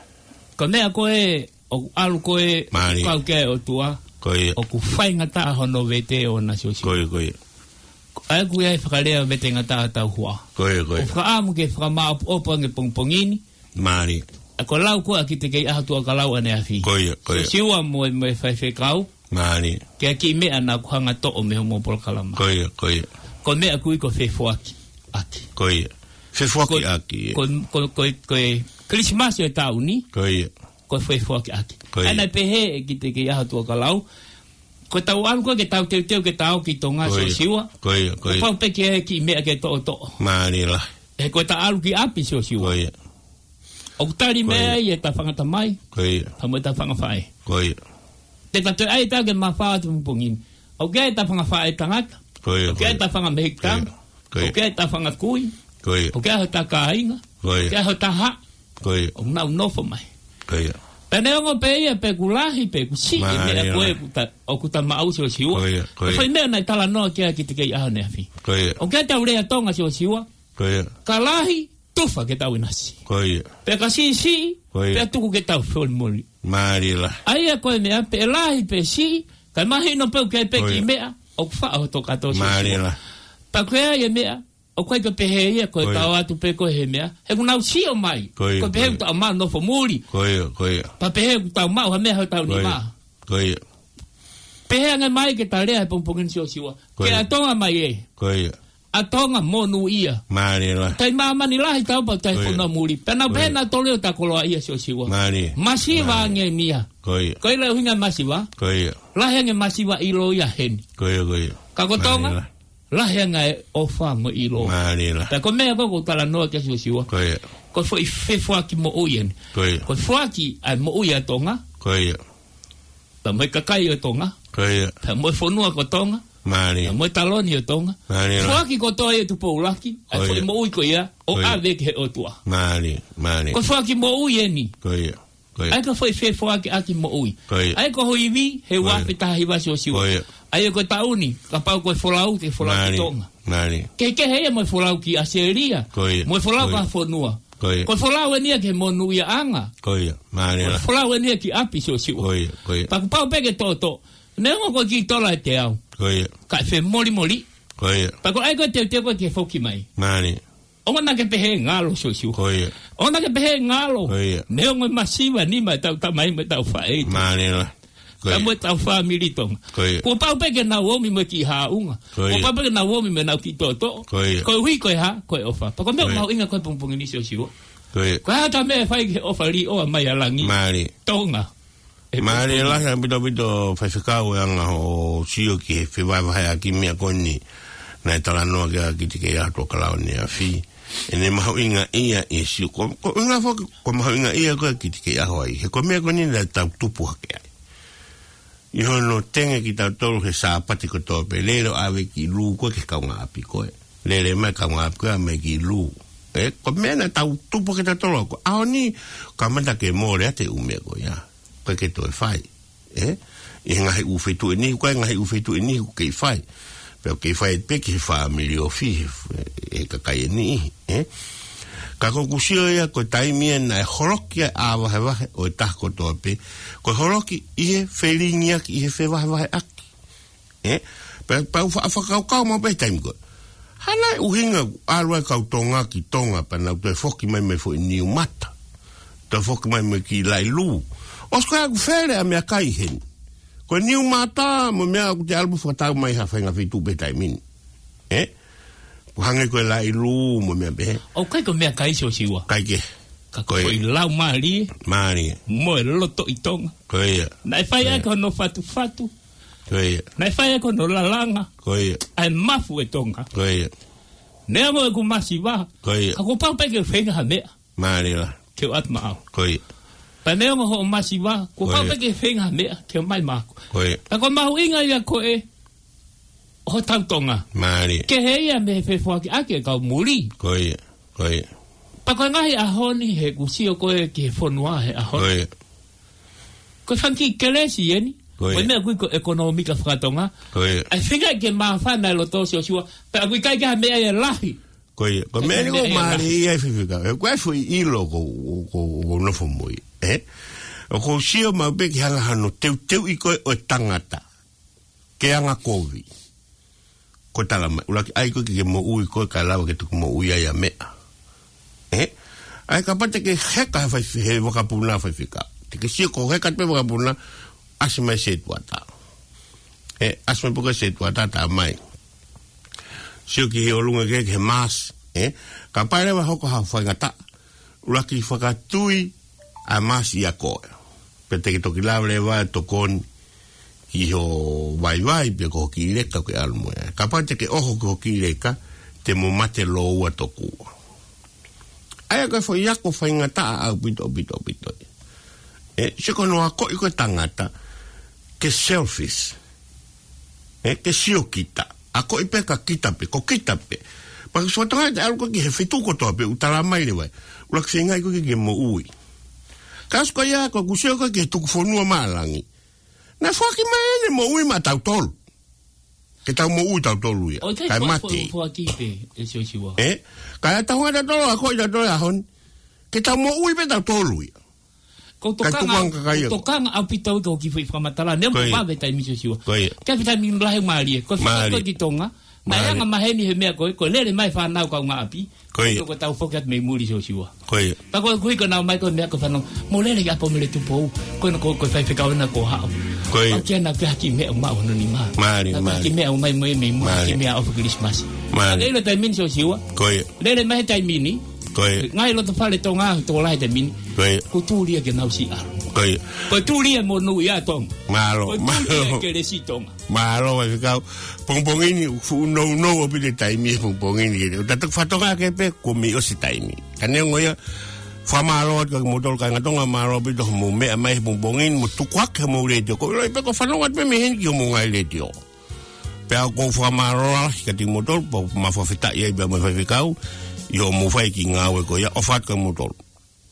Ko e meʻa ko ē, ʻoku ʻalu ko ē, Mālie. Kau ki ai e ʻOtua. Ko ia. ʻOku faingataʻa hono vete ʻoʻona Siosiua. Ko ia, ko ia. ʻA ia ʻoku ʻi ai e fakalea vete ngataʻa tauhoa. Ko ia, ko ia. ʻOku ou fakaʻamu ke fakamāʻopoʻopo ange pongipongi ni. Mālie. ʻA ko e lau ko ē ʻa Kitekeiʻaho Tuʻakalau ʻaneafi. Ko ia, ko ia. Siosiua mo e, mo e faifekau. Mālie. Ki he kiʻi meʻa naʻa ku hanga toʻo mei homo polokalama. Ko ia, ko ia. Ko e meʻa ʻoku ui ko e fefoakiʻaki. Ko ia. Fefoakiʻaki. Ko, ko, ko, ko e Kilisimasi ʻo e taʻu ni. Ko ia. Ko e fefoakiʻaki. Ko ia. ʻA ia naʻe pehē ʻe Kitekeiʻaho Tuʻakalau. Ko ʻetau ʻalu ko ē ke tau teuteu ke tau ki Tonga Siosiua. Ko ia, ko ia. Kuo pau pē ke ʻi ai e kiʻi meʻa ke toʻotoʻo. Mālie lahi. He ko ʻeta ʻalu ki ʻapi Siosiua. Ko ia. ʻOku tali mai ai ʻeta fanga tamai. Ko ia. Pea mo ʻeta fanga faʻē. Ko ia. Te ta toe ʻai ʻeta ke mafao atu pongipongi ni. ʻOku ʻi ai ʻeta fanga faʻē tangata. Ko ia, ʻoku ʻi ai ʻeta fanga mehikitanga. Ko ia. ʻOku ʻi ai ʻeta fanga kui. Ko ia. ʻOku ʻi ai hota kāinga. Ko ia. ʻOku ʻi ai hota haʻa. Ko ia. ʻOku nau nofo mai. Ko ia. Pea neongo pē ia pe ʻoku lahi pe ʻoku siʻi e meʻa ko ē ʻoku ta, ʻoku ta maʻu Siosiua. Ko ia, ko ia. Ko e foʻi meʻa naʻe talanoa ki ai Kitekeiʻaho ʻaneafi. Ko ia. ʻOku ʻi ai ʻetau lea Tonga Siosiua. Ko ia. Ka lahi, tufa ke tau ʻinasi. Ko ia. Pea ka siʻisiʻi, ko ia, pea tuku ke tau folimoli. Mālie lahi. ʻA ia ko e meʻa pe lahi pe siʻi, kae mahino pē ʻoku ʻi ai pē e kiʻi meʻa ʻoku faʻo hoto kātoa Siosiua. Mālie lahi. Pea ko e ʻai e meʻa, ʻoku ʻikai ke pehē ia ko e tau atu pē ko ē he meʻa. He ʻoku nau sio mai. Ko ia, ko ia. Ko e pehē ʻoku tau maʻu nofo muli. Ko ia, ko ia. Pea pehē ʻoku tau maʻu ha meʻa he taʻu ni mā. Ko ia. Pehē ange mai ke ta lea he pongipongi ni Siosiua. Ko ia. Ke ʻa Tonga mai ē. Ko ia. ʻA Tonga monūʻia. Mālie lahi. Taʻi māmani lahi tau pea taʻi fonua muli. Pea nau pehē nautolu ʻoku ta koloaʻia Siosiua. Mālie. Masiva ange ia. Ko ia. Ko e ʻuhinga masiva. Ko ia. Lahi ange masiva ʻilo ia heni. Ko ia, ko ia. Ka ko Tonga. Mālie lahi. Lahi ange e ʻofa mo e ʻilo. Mālie lahi. Pea ko e meʻa ko ē ʻoku ou talanoa ki ai Siosiua. Ko ia. Ko e foʻi fefoaki moʻui eni. Ko ia. Ko e foaki ʻa e moʻui ʻa Tonga. Ko ia. Pea mo e kakai ʻo Tonga. Ko ia. Pea mo e fonua ko Tonga. Mālie. Pea mo e taloni ʻo Tonga. Mālie lahi. Foaki kotoa ia ʻe Tupou ʻUluaki. ʻA e Ko ia. foʻi moʻui ko ia. ʻO Ko ia. ʻave ki he ʻOtua. Mālie, mālie. Ko e foaki moʻui eni. Ko ia. Ko ia. ʻA ia ko e foʻi fefoakiʻaki moʻui. Ko ia. ʻA ia ko ho ivi, he Ko ia. ua afe taha hiva Siosiua. Ko ia. ʻA ia ko e taʻu ni, kapau ko e folau, ke folau ki Mālie, Tonga. mālie. Kehekehe ia mo e folau ki ʻAositelēlia. Ko ia. Mo e folau Ko ia. ki ha fonua. Ko ia. Ko e folau eni ia ki he monūʻiaʻanga. Ko ia. Mālie Ko e lahi. folau eni ia ki ʻapi Siosiua. Ko ia, ko ia. Pea kuo pau pē ke toʻotoʻo. Neongo ko e kiʻi tola ʻe teau. Ko ia. Kae femolimoli. Ko ia. Pea ko e ʻai ko e teuteu ko ē ke foki mai. Mālie. ʻOua naʻa ke pehē ngalo Siosiua. Ko ia. ʻOua naʻa ke pehē ngalo. Ko ia. Neongo e masiva ʻa e nima ʻetau tamai mo ʻetau faʻē. Mālie lahi. Ko ia. Pea mo ʻetau fāmili Tonga. Ko ia. Kuo pau pē ke nau ō mai mo e kiʻi haʻunga. Ko ia. Kuo pau pē ke nau ō mai mo ʻenau kiʻi toʻotoʻo. Ko ia. Koeʻuhi ko e hā, ko e ʻofa. Pea ko e meʻa Ko ia. mahuʻinga ko ē pongipongi ni Siosiua. Ko ia. Ko e hā ʻeta meʻa ʻe fai ki he ʻofa liʻoa mai ʻa langi. Mālie. Tonga. ʻE Mālie pongipongi. lahi ʻaupito ʻaupito Faifekau e anga hoʻo sio ki he fevahevaheʻaki meʻa ko eni. Naʻe talanoa ki ai ʻa Kitikeiaho Tuʻakalauni ʻAfi. ʻEne mahuʻingaʻia ʻi he sio. Ko, ko e ʻuhinga foki, ko e mahuʻingaʻia ko ē ʻa Kitikeiaho ai. He ko e meʻa ko eni naʻa tau tupu hake ai. ʻI hono tenge kitautolu he Sāpate kotoa pē lele ʻo ʻave kiʻi lū ko ē ki he kaungāʻapi ko ē. Lele mai kaungāʻapi ko ē ʻa mai kiʻi lū. ʻE, ko e meʻa naʻa tau tupu hake kitautolu ko ē. ʻAho ni, kamata ke mole atu e ʻū meʻa ko ia. Ko e ke toe fai. ʻE? ʻI he ngaahi ʻū feituʻu ʻe niʻihi, ko e ngaahi ʻū feituʻu ʻe niʻihi ʻoku kei fai. Pea ʻoku kei fai pē ki he fāmili ofi, he, he kakai ʻe niʻihi, ʻe? Ka ko ʻeku sio ia ko e taimi ia naʻe holoki ai ʻa e vahevahe ʻo e taha kotoa pē. Ko e holoki ʻi he felingiʻaki, ʻi he fevahevaheʻaki. ʻE? Pea, pea u fa-, fakakaukau maʻu pē he taimi ko ē. Hā nai e ʻuhinga ʻalu ai e kau Tonga ki Tonga pea nau toe foki mai mo e foʻi niu mata. Toe foki mai mo e kiʻi laʻi lū. ʻOsi ko ē ʻoku fele ʻa e meʻakai heni. Ko e niu mata mo e meʻa ʻoku te ʻalu mo fakatau mai ha faʻahinga feituʻu pē he taimi ni. ʻE? Ko e hangē ko e laʻi lū mo e meʻa pehē. ʻOku ʻikai ko e meʻakai Siosiua. ʻIkai ke. Ka ko e Ko ia. foʻi laumālie. Mālie. Mo e loto ʻi Tonga. Ko ia. Naʻe fai Ko ia. ʻaki hono fatufatu. Ko ia. Naʻe fai ʻaki hono lalanga. Ko ia. ʻA e mafu ʻe Tonga. Ko ia. Neongo ʻeku masiva. Ko ia. Ka kuo pau pē ke feinga ha meʻa. Mālie lahi. Ke u ʻatu maʻau. Ko ia. Pea neongo hoʻo masiva. Kuo Ko pau ia. pē ke feinga ha meʻa. Ke ʻomai maʻaku. Ko ia. Pea ko e mahuʻinga ia ko ē ʻo hotau Tonga. Mālie. Kehe ia mei he fefoakiʻaki ʻa e kau muli. Ko ia. Ko ia. Pea ko e ngaahi ʻaho ni he ʻoku sio ko ē ki he fonua he ʻaho ni. Ko ia. Ko e fanga kiʻi kelesi eni. Ko ia. Ko e meʻa ʻoku ui ko e ʻekonōmika fakatonga. Ko ia. ʻA e feinga ke māfana e loto Siosiua. Pea ʻoku ʻikai ke ʻi ai ha meʻa ia ʻe lahi. Ko ia. Ko e meʻa ni ʻoku mālie ia Faifekau. ʻE, ko e foʻi ʻilo ʻoku, ʻoku, ʻoku ou nofo mo ia. ʻE? ʻOku ou sio maʻu pē ki he anga hono teuteuʻi ko ē ʻo e tangata. Ke anga kovi. Ko e tala mai, ʻuluaki ʻai ko ē ke ke moʻui ko ē kae lava ke tuku moʻui ai ʻa meʻa. ʻE? ʻAi kapau te ke heka he fai, he vakapuna Faifekau. Te ke sio ko e heka pē vakapuna, ʻasi mai setuata. ʻE, ʻasi mai pē ko e setuata tā mai. Sio ki he ʻolunga ke, ki he maasi, ʻe? Kapau leva ʻe hoko ha faingataʻa. ʻUluaki fakatui ʻa e maasi ʻia koe. Pea te ke toki lava leva ʻo tokoni ki ho vaivai pe ko ho kiʻi leka ʻoku ke ʻalu mo ia. Kapau te ke ʻoho ki ho kiʻi leka, te mo mate lōua tokua. ʻA ia ko e foʻi ako faingataʻa ʻaupito, ʻaupito, ʻaupito. ʻE, sio ko hono akoʻi ko ē tangata, ke selfish. ʻE, ke sio kita. Akoʻi pē ka kita pē, ko kita pē. Pea ko e sio Tonga te ʻalu ko ē ki he feituʻu kotoa pē, ʻoku tala mai leva. ʻUluaki feingaʻi ko ē ke moʻui. Ka ʻosi ko ia, ko ʻeku sio ko ē ki he tuku fonua maʻa langi. Naʻe foaki mai ʻene moʻui maʻa tautolu. Ke tau moʻui tautolu ia. ʻOku ʻikai Kae fo-, mate. fo-, foaki pē, ʻe Siosiua. ʻE? Kae tau hanga tautolu, akoʻi tautolu ʻaho ni. Ke tau moʻui pē tautolu ia. Ko e Kae tokanga, tuku ange kakai ko e ia. tokanga ʻaupito ki he kiʻi foʻi fakamatala. Neongo Ko ia. ʻoku vave taimi Siosiua. Ko ia. Ke fai taimi lahi mālie. Ko e fakaʻosi Mālie. ko ē ki Tonga. Naʻe Mālie. anga maheni he meʻa ko ē, ko e lele mai fānau kaungāʻapi. Ko ia. Ko e tau foki atu mei muli Siosiua. Ko ia. Pea ko e kuhi ko ē naʻe ʻomai ko e meʻa ko e fānau. Mo lele ki ʻapi ʻo mele Tupou. Ko ena ko, ko e faifekau ena kuo haʻu. Ko ia. ʻOku ʻikai ke na pehē ha kiʻi meʻa ʻo maʻu hono nima. Mālie, Naʻa pehē ha mālie. kiʻi meʻa ʻo ʻomai mo e mei muli Mālie. kiʻi meʻa ʻofa Kilisimasi. Mālie. Ka ʻilo taimi ni Siosiua. Ko ia. Lele mai he taimi ni. Ko ia. Ngaahi loto fale Tonga, tokolahi he taimi ni. Ko ia. Kuo tuli ia ke nau siʻi ʻalu. Ko ia. Ko e tuli e monū ia Tonga. Mālō, ko e tuli e mālō. Kelesi Tonga. Mālō, faifekau. Pongipongi ni, fuʻu nounou ʻaupito e taimi he pongipongi ni. ʻOku tau toki fakatokangaʻi ake pē, kuo mei ʻosi e taimi. Ka neongo ia, fakamālō atu kia kimoutolu kāinga Tonga, mālō ʻaupito hoʻomou meʻa mai he pongipongi ni, mo tukuakiʻi homou letiō. Ko e ʻilo pē ʻoku ou fanongo atu pē mei heni ki homou ngaahi letiō. Pea ʻoku ou fakamālō lahi kiate kimoutolu, pea ʻoku mau fakafetaʻi ai pea mo e faifekau, ʻi hoʻomou fai e kiʻi ngāue ko ia, ʻofa atu kia kimoutolu.